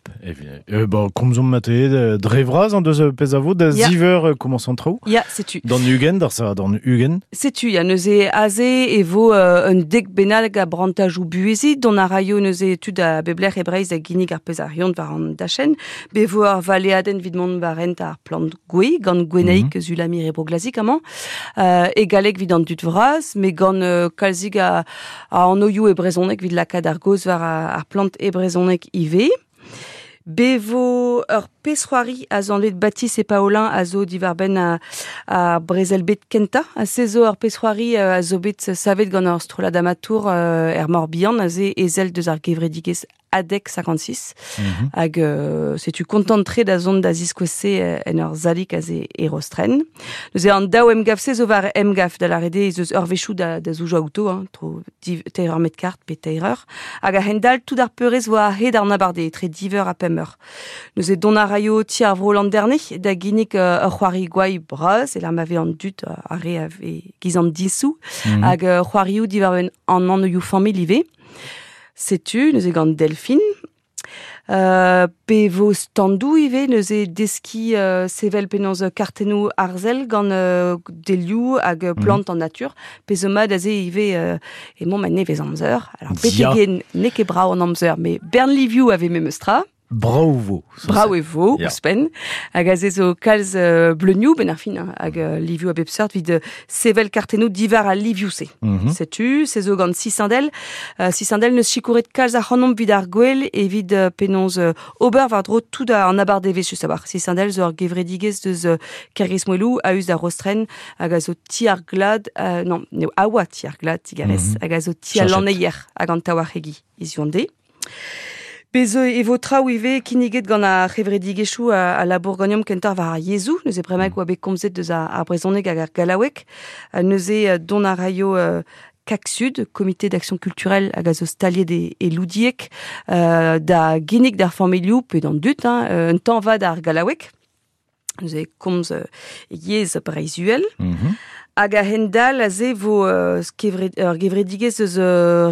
Bon, komzomp mate dre vras an deus pezh a vo da ziver komañs an traoù. Ya, setu. D'an ugent, d'ar sa d'an ugent. Setu, ya, neuze aze e vo un dek bennak a brantajoù buheziñ, dont a raio neuze tud a bep lec'h e Breizh da ginnig ar pezh a reont war an dachenn. Be vo ur valeadenn evit mont war hent ar plant gouez, gant Gwenaig Zulamir e Bro-Glazik amañ. E galleg evit an dud vras, met gant kalzik a, a anvioù e brezhoneg evit lakaat ar gaoz war ar plant e brezhoneg ivez. Be vo ur pezh-c'hoari a zo anvet Baptiste et Paolin a zo diwar-benn ar brezel-bed kentañ. Ha se zo ur pezh-c'hoari a zo bet savet gant ur strollad amatour er Morbihan, aze ezel deus ar gevredigezh ADEC 56. Hag setu kontant-tre da zont da ziskouez-se en ur salig aze e Rostren. Neuze an daou emgav-se zo war emgav, da lâret eo ez eus eurvezhioù da, da zoujañ outo, hein, tro div, teir eur met kart pe teir eur. Hag a-hend-all, tout ar peurrest vo a-hed an abardaez, etre div eur ha pemp eur. Neuze dont a raio ti ar vro Landerne da ginnig ur c'hoari gwai bras, e ma vez an dud ar re a vez giz an disoù, hag c'hoarioù diwar-benn an anvioù familh ivez. Setu, neuze gant Delphine. Pe vo standoù ivez, neuze deskiñ sevel penaos kartennoù arzel gant delioù hag plant an natur. Pezh zo mat aze ivez emañ ma nevez amzer. Alors, betek n'eo ket brav an amzer, met bern livioù a vez memes tra. Brav vo. Brav e vo, ouzhpenn. Hag aze zo kalz bleunioù, benn ar fin, hein, hag livioù a bep seurt evit sevel kartennoù diwar al livioù-se. Setu, se zo gant Sisindel. Sisindel neus sikouret kalz ac'hanomp evit ar gwel, evit penaos ober war-dro tout an abardevezh, just a-walc'h. Sisindel zo ur gevredigezh deus Kergrismoelou, a-us da Rostren, hag a zo ti ar glad, non, n'eo a oa ti ar glad, digarez, hag a zo ti al lanneier hag an taouarc'hegi hiziv an deiz. Bez e vo traoù ivez kinniget gant ar c'hevredigezhioù a labour ganeomp kentoc'h war ar yezhoù. Neuze bremaik oa bet komzet deus ar brezhoneg hag ar gallaoueg. Neuze dont a raio CAC-Sud, Comité d'action culturelle hag a zo staliet e Loudieg, da ginnig d'ar familhoù pe d'an dud, hein, un tañva d'ar gallaoueg. Neuze komz yezh Breizh-Uhel. Hag a-hend-all aze vo ur gevredigezh eus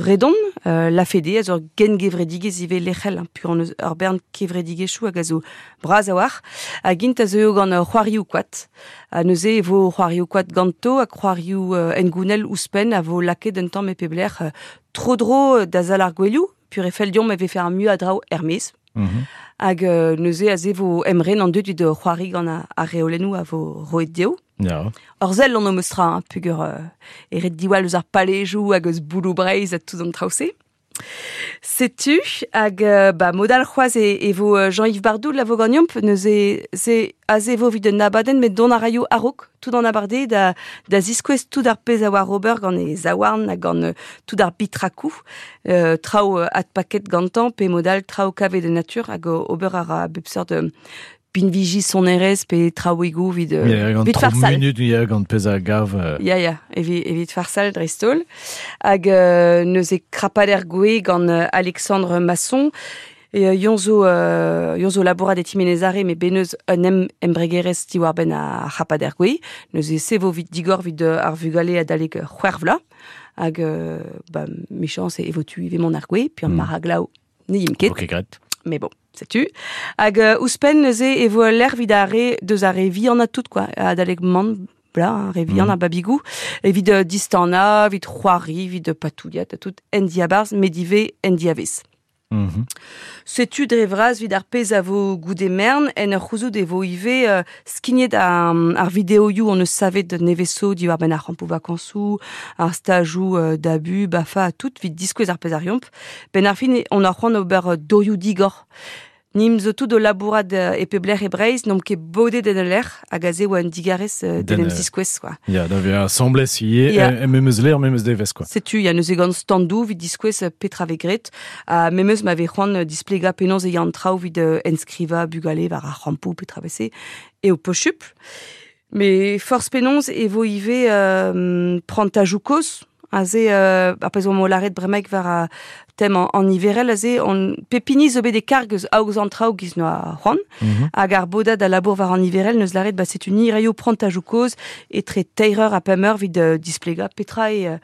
Redon, La Fédé, a zo ur gengevredigezh ivez lec'hel, hein, pur eus ur bern kevredigezhioù hag a zo bras a-walc'h. Hag int a zeuio gant c'hoarioù koad. Ha neuze e vo c'hoarioù koad ganto ha c'hoarioù hengounel ouzhpenn a vo lakaet un tamm e pep lec'h tro-dro da sal ar gouelioù, pur e fell deomp e vefe ar muiañ a draoù er-maez. Hag neuze aze vo emren an dud evit c'hoari gant ar reolennoù a vo roet dezho. Ya. Ur sell on o meus tra, hein, pugur e ret diwall eus ar palejoù hag eus bouloù Breizh ha tout an traoù-se. Setu, hag ba mod all c'hoazh e vo Jean-Yves Bardou la vo ganeomp, neuze se aze vo evit un abadenn met dont a raio a-raok tout an abardaez da ziskouez tout ar pezh a oar ober gant e zaouarn ha gant tout ar bitrakoù, traoù adpaket gantañ pe mod all traoù kavet en natur hag ober a ra bep seurt binviji sonerezh pe traoùigoù evit evit farsal. Minut, ya, gant pezh a gav. Ya, ya, evit farsal dreist-holl. Hag neuze krapader gouez gant Alexandre Masson. E yon zo, yon zo labourat e Timenezare, met bet neus un embregerezh diwar-benn ar c'hrapader gouez. Neuze se vo vit digor vit ar vugale adalek c'hwec'h vloaz. Hag ba, mechañs e vo tu ivez mont ar gouez, puis an maraglaou. Ne yim ket. Ok, gret. Mais bon, setu. Hag ouzhpenn neuze e vo ul lec'h evit ar re deus ar re vihan ha tout, quoi. Adalek man, bla, ar re vihan a babigou. Evit distana, evit c'hoari, evit patouilhat ha tout, en diabarzh, met ivez en diavez. Setu dre vras evit ar pezh a vo goude mern, en ur c'houzout e vo ivez skignet ar videoioù hon eus savet neveso diwar-benn ar c'hampoù vakañsoù, ar stajoù dabu, bafa ha tout, evit diskouez ar pezh a reomp. Benn ar fin, on a c'hoant ober dorioù digor. Nim zo tout o labourat e pep lec'h e Breizh, n'omp ket bodet en ul lec'h, hag aze oa un digarez d'en em ziskouez, quoi. Ya, da vezañ asambles ivez, memes lec'h, memes devezh, quoi. Setu, ya, neuze gant standoù evit diskouez petra vez graet, ha memes ma vez c'hoant displegañ penaos e ya an traoù evit enskrivañ bugale war ar c'hampoù, petra vez-se, eo posupl. Mais forzh penaos e vo ivez prantajoù kozh, aze ar pezh oa lâret bremaik war ar tem an niverel aze, on pep hini zo bet e karg eus aoz an traoù giz noa c'hoant, hag ar bodad a labour war an niverel neus lâret ba setu ni raio prantajoù kozh etre teir eur ha pemp eur evit displegañ petra eo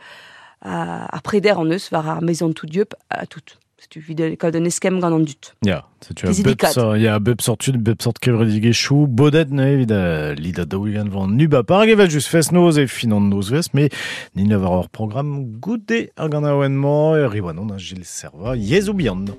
ar preder an eus war ar maison tout dieub ha tout. Setu evit kaout un eskemm gant an dud. Ya, setu a bep sort, ya, a bep sort tud, bep sort kevredigezhioù, bodet neuze evit lidañ daou-ugent vant Ubapar hag evel just fest-noz e fin an nozvezh, met nin a war ur programm goude ar ganaouenn-mañ, e Riwanon ha Gilles Servat, yezhoù bihan.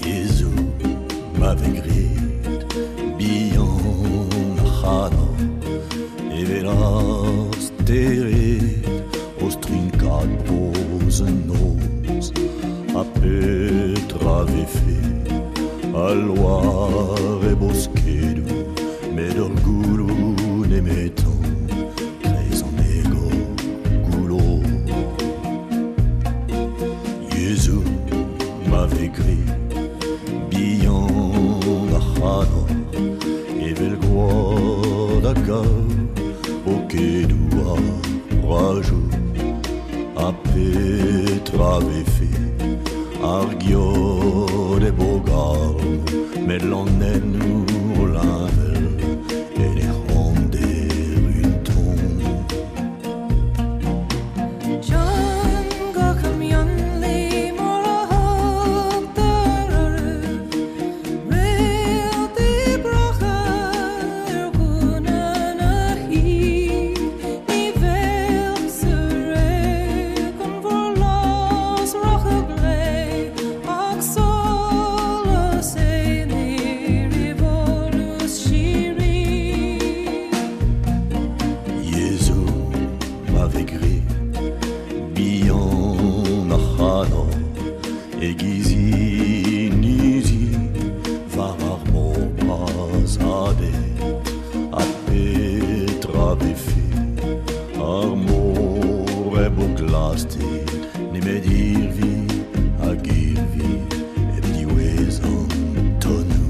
Yezhoù ma vez graet bihan ar c'hador evel ar stered o strinkañ noz an noz ha petra vefe al loar e boskedoù met ur gouloù nemetañ kreiz an egor goullo. Yezhoù ma vez graet bihan ar c'hador evel gwad hag ar bokedoù ar brajoù ha petra vefe ar geot e bogal met lanennoù o leñvel en ec'honder un ton. Yezhoù ma vez graet bihan ar c'hador e-giz inizi war ar mor bras adet ha petra vefe ar mor hep o glasted nemet irvi hag irvi hep diwezh an tonnoù.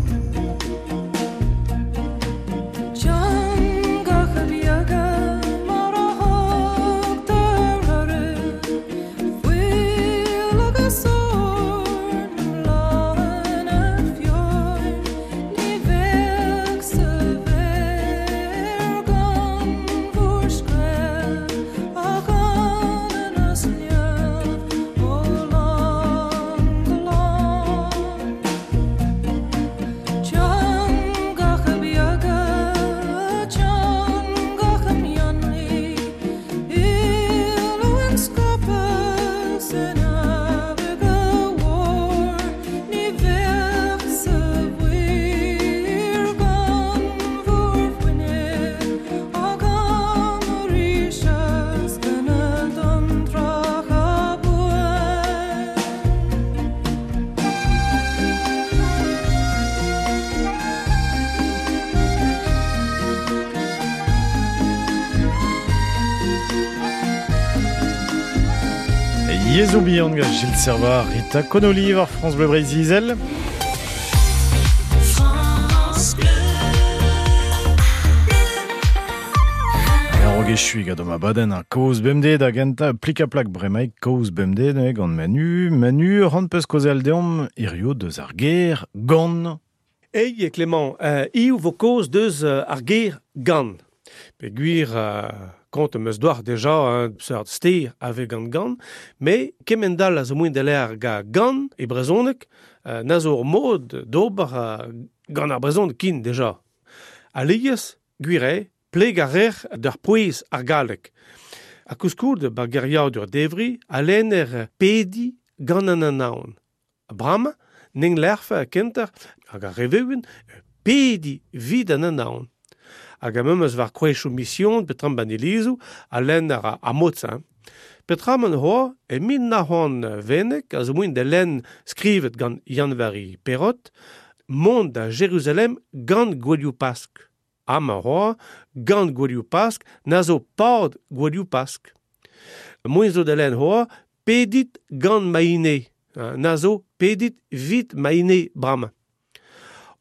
Yezhoù bihan gant Gilles Servat, Rita Connolly war France Bleu Breizh Izel. France Bleu. echu gant ma baden ar kaoz bemdez da genta plik-a-plak bremaik kaoz bemdez ne, gant Manu. Manu, ran peus kaozeal deomp hirio deus ar ger gant. Ei, Clément, iu vo kaoz deus ar ger gant. Pe gwir kont am eus doar deja un seurt ster ave gant gant, me kemendal a zo mouen de l'air ga gant e brezhoneg, na zo ur mod d'ober gant ar brezhoneg kin deja. Alies, gwir eo, pleg ar rer d'ar pouez ar galleg. A kouskoud ba geriadur devri a lenner pedi gant an anaon. Bram, ning lerf kenter hag ar reveuen pedi vid an anaon. Hag a memes war kouechou mission petram ban elizou a lenner a motz. Petram an hoa e min na c'hoant venek a zo mouen de len skrivet gant Yann-Vari Perrot mont da Jérusalem gant gwelioù Pask. Am a hoa gant gwelioù Pask na zo pad gwelioù Pask. Mouen zo de len hoa pedit gant maine. Na zo pedit vit maine bram.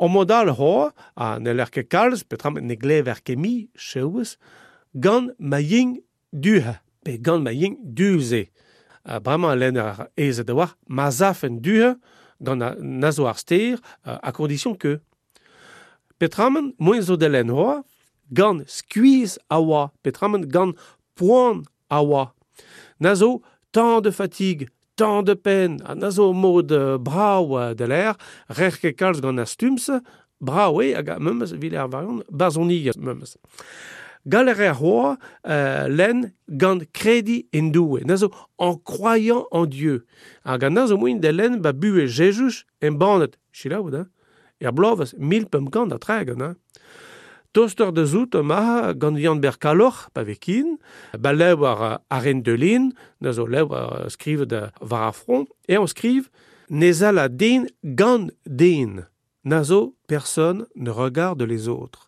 O modal hoa, a ne l'er ket kalz, petram ne glever ket mi, chewez, gant ma ying duha, pe gant ma ying duze. Bremañ a lenner ar aezet da war, ma zafen duha, gant na zo ar ster, a condition que. Petramen, moen zo de len hoa, gant skuizh a oa, petramen gant poan a oa. Na zo tant de fatigue, tant de peine, ha na zo mod brav de l'air, rer ket kalz gant ar stumse, brav eo hag memes evit ar variant bazoniezh memes. Galler er hoa len gant kredi en doue, na zo en croyant en Dieu. Hag na zo moin de len ba buhe Jezuz en banet, chilaout, hein? Er blovez mil pemp kant a tregont, hein? Toster de zout ma gant Yann Berkaloc'h pa vekin, ba lev ar ar en de lin, na zo lev ar skriv de war ar front, e on skriv nezal a den gant den. Na zo personne ne regarde les autres.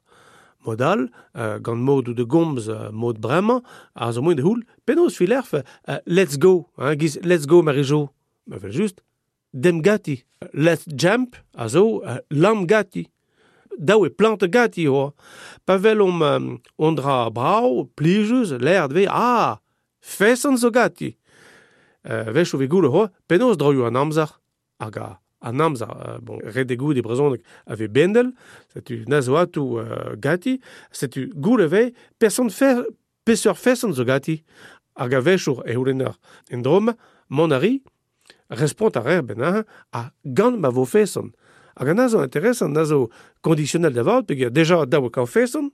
Modal, gant mod ou de gomz mod bremañ, a zo moen de houl, penaos filerf let's go, hein, giz let's go Marijo. Ma vel just, dem gati. Let's jump, a zo lam gati. Daou e plante gati hoa. Pa vel om on dra brao, plijus, l'air dve, ah, fesan zo gati. Vech o ve goule hoa, penaos droioù an amzer, hag an amzer, bon, ret e goud e brezhoneg a ve bendel, setu na zo atou gati, setu goule ve, person fer, peseurt fesan zo gati. Hag a vechour e houlenner en drom, mon ari, respont a rer ben a gant ma vo fesan. Hag an a zo intéressant, a zo conditionnel da vat, peogwir deja daou kaout feson,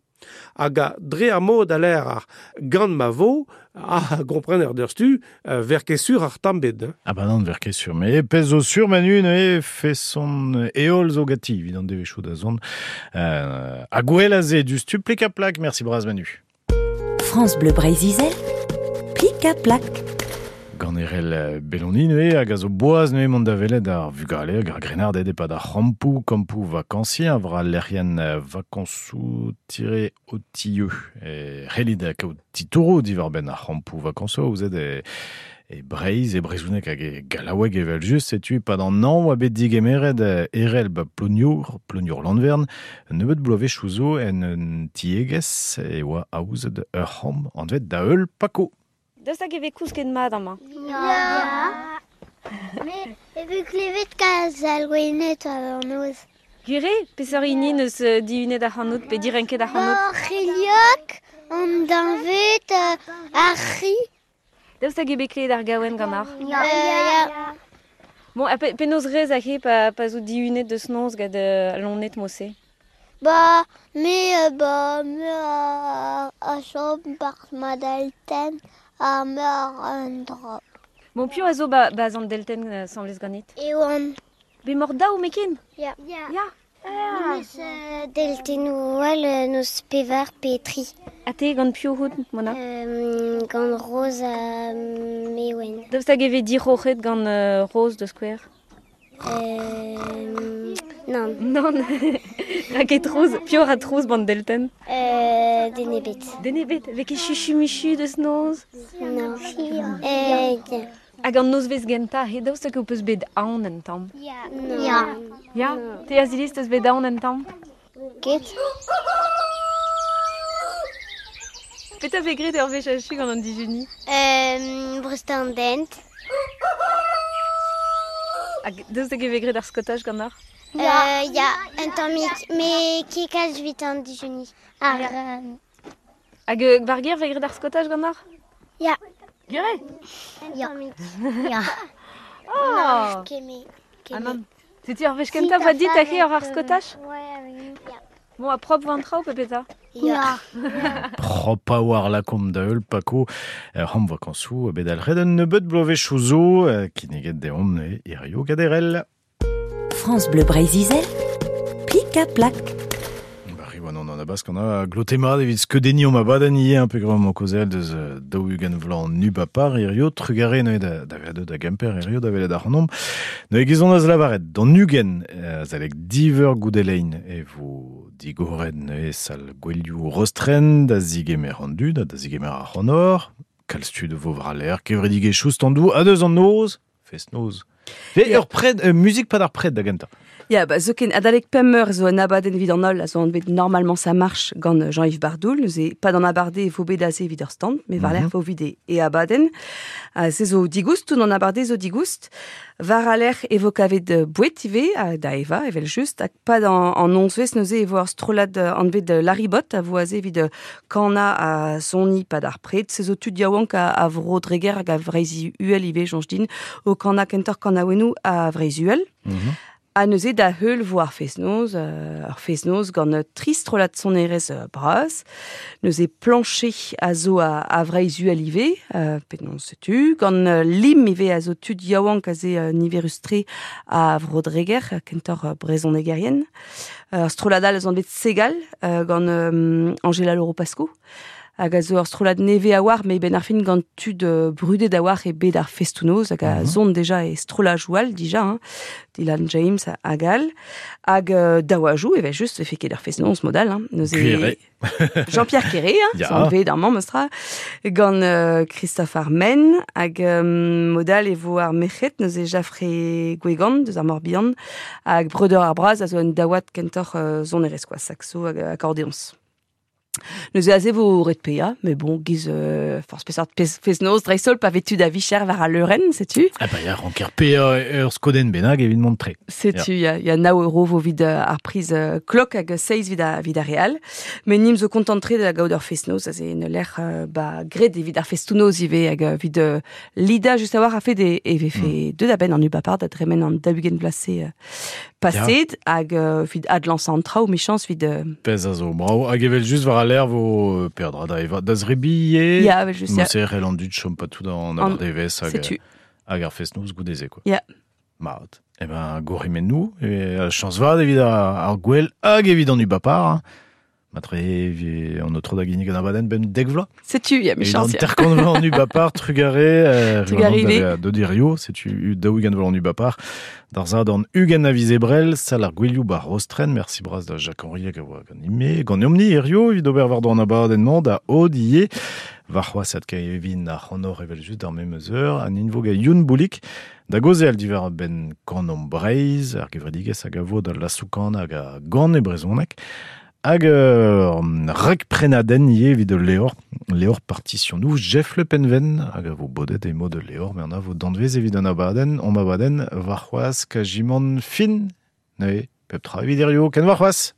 hag a dre ar mod a l'air ar gant ma vo, a gomprener d'ur stu, ver ket sur ar tambed. Hein. Ah bah non, ver ket sur, mais pez zo sur Manu, ne feson eol zo gati, evit an devezhioù da zont. A gwell a ze du stu plik a plak, merci braz Manu. France Bleu Breizh-Izel, plik a plak. Gant erel Beloni neuze hag a zo boaz neuze mont da welet ar vugale hag ar grennarded e-pad ar c'hampoù, kampoù vakansier, a vra lec'hienn vakansoù-otilleux. E c'hellit da kaout titouroù diwar-benn ar c'hampoù vakansoù, ouzet e Breizh, e Brezhoneg hag e Gallaoueg evel just, setu pad an hañv oa bet digemeret erel ba Ploniour, Ploniour Lanvern, nebeut bloavezhioù zo en un tiegezh e oa aozet ur c'hamp anvet da heul Paco. Daoust hag e vez kousket mat amañ? Ya. Me e vez klevet kalz al gwenet war an noz. Gwir eo, peseurt hini neus dihunet ac'hanout pe direnket ac'hanout? Ar c'heliok, an dañved, ar c'hi. Daoust hag eo bet klevet ar gaouenn ganeoc'h? Ya. Ya. Bon, ha penaos rez hag pa zo dihunet deus noz gant lonet mose? Ba, me, ba, me a chom bar ma delten a meur un dra. Bon, piv a zo ba zan delten semblez ganit? Ewan. Be mor daou mekin? Ya. Ya. Ya. Ah. Neus deltenoù all neus pevar pe tri. Ha te gant piv out, Mona? Gant Rose ha Mewen. Daoust hag e vez diroc'het gant Rose de Square? Non. Non. Hag e trouz, piv a trouz bant delten? Denebet. Denebet, vez ket chuchu-muchu deus noz? Non. Hag an nozvezh gentañ, he daoust hag ho peus bet aon en tamm? Ya. Ya. Ya? Te Aziliz, teus bet aon en tamm? Ket. Petra vez graet ur wech achu gant an dijuni? Breutañ an dent. Hag daoust hag e vez graet ar skaotaj ganeoc'h? Ya, un tammig, met ket kalz evit an dijuni. Ar, Hag war gêr vez graet ar skaotaj ganeoc'h? Ya. Gwir eo? Un tammig. Ya. Ah. Ket me. Ah nann. Setu ar wech kentañ 'oa dit aze oc'h ar skaotaj? Ya. Bon, ha propr 'vo an traoù pe petra? Ya. Prop a war lakaomp da heul Paco c'hamp vakañsoù bet alc'het un nebeud bloavezhioù zo kinniget deomp neuze hirio Gaderel. France Bleu Breizh-Izel, plik-ha-plak. Ba riwan an abask an a glote mat evit skeudenniñ omp abadenn ivez un peu grand mañ kaozeal deus 40 vloaz an ubapar hirio trugare neuze da da vezañ deuet da Gemper hirio da welet ac'hanomp. Neuze gizon az lavaret d'an 20 azalek diveur goude lein e vo digoret neuze sal gouelioù Rostren da zigemer an dud ha da zigemer ar c'honor. Kalz tud vo war al lec'h kevredigezhioù standoù ha deus an noz fest-noz. Ve ur pred, muzik pad ar pred da gentañ. Ya, ba, zoken, adalek pemp eur zo un abadenn evit an holl a zo anvet Normalement ça marche gant Jean-Yves Bardoul. Neuze, pad an abarde e vo bet aze evit ur stand, met war-lerc'h vo evit e abadenn. Se zo digoust, tout an abarde zo digoust. War al lec'h e vo kavet boued ivez, da evañ, evel-just, hag pad an nozvezh neuze e vo ur strollad anvet Laribot a vo aze evit kanañ ha soniñ pad ar pred. Se zo tud yaouank a vro Dreger hag a Vreizh-Uhel ivez, soñj din, o kanañ kentoc'h kanaouennoù a Vreizh-Uhel. Ha neuze da heul vo ar fest-noz, ur fest-noz gant tri strollad sonerezh bras. Neuze Plancher a zo a Vreizh-Uhel ivez, penaos setu, gant Lim ivez a zo tud yaouank aze niverus-tre a Vro-Dreger, kentoc'h brezhonegerien. Ur strollad all a zo anvet Segal, gant Angela Loro-Pasco. Hag a zo ur strollad nevez a-walc'h, met benn ar fin gant tud brudet a-walc'h e bed ar festoù-noz, hag a zon deja e strollajoù all dija, hein, Dylan James hag all. Hag daouajoù, evel-just, vefe ket ar fest-noz mod all. Hein. Neuze Gwir eo. Jean-Pierre Quéré, hein, zo anvet amañ, meus tra, gant Christophe Armen, hag mod all e vo ar merc'hed, neuze Jaffré Gwegan, deus ar Morbihan, hag Breudeur ar Braz a zo un daouad kentoc'h sonerezh, quoi, saxo hag akordeoñs. Neuze aze vo ret paeañ, met bon, giz forzh peseurt fest-noz dreist-holl pa vez tud a vicher war al leurenn, setu. Ah bah ya, ranker paeañ ur skodenn bennak evit mont tre. Setu, ya, ya nav euro vo evit ar priz klok hag seizh evit ar re all. Met nim zo kontant-tre da gaout ur fest-noz, aze en ul lec'h ba graet evit ar festoù-noz ivez hag evit lidañ just a-walc'h a-fet e vefe deuet a-benn an ubapar da dremen an 40 vloaz-se Paset hag evit adlañsañ an traoù, 'michañs evit... Pezh a zo brav. Hag evel just war al lec'h vo peadra da evañ da zrebiñ Ya, evel just, ya. Morse e c'hell an dud chom pas tout an abardaevezh hag, Setu. hag ar fest-noz goude-se, quoi. Ya. Mat. Eh ben, gourc'hemennoù, e chañs vat evit ar gwel hag evit an ubapar. Hein. Matre an aotrou da ginnig an abadenn benn dek vloaz. Setu, ya, michañs. An terkant vloaz an ubapar, trugare. Trugare ivez. Dodirio, setu 40 vloaz an ubapar. D'ar zadorn 20 a viz Ebrel, sal ar Gwelioù bar Rostren. Merci bras da Jacques-Henri hag a oa ganime. Ganeomp-ni hirio evit ober war an abadenn-mañ da Aude ivez. Warc'hoazh adkavin ar c'honor evel-just d'ar memes eur. An invo gant Youn Boulik. Da gaozeal diwar benn Kanomp Breizh, ar gevredigezh hag a vo da lasoù-kanañ hag a gan e brezhoneg. Hag ur rakprenadenn ivez evit ul levr, levr partisionoù Jeff Le Penven, hag a vo bodet e mod ul levr, met an a vo danvez evit an abadenn, omp abadenn warc'hoazh kajimant fin. Neuze, pep tra evit hirio, ken warc'hoazh!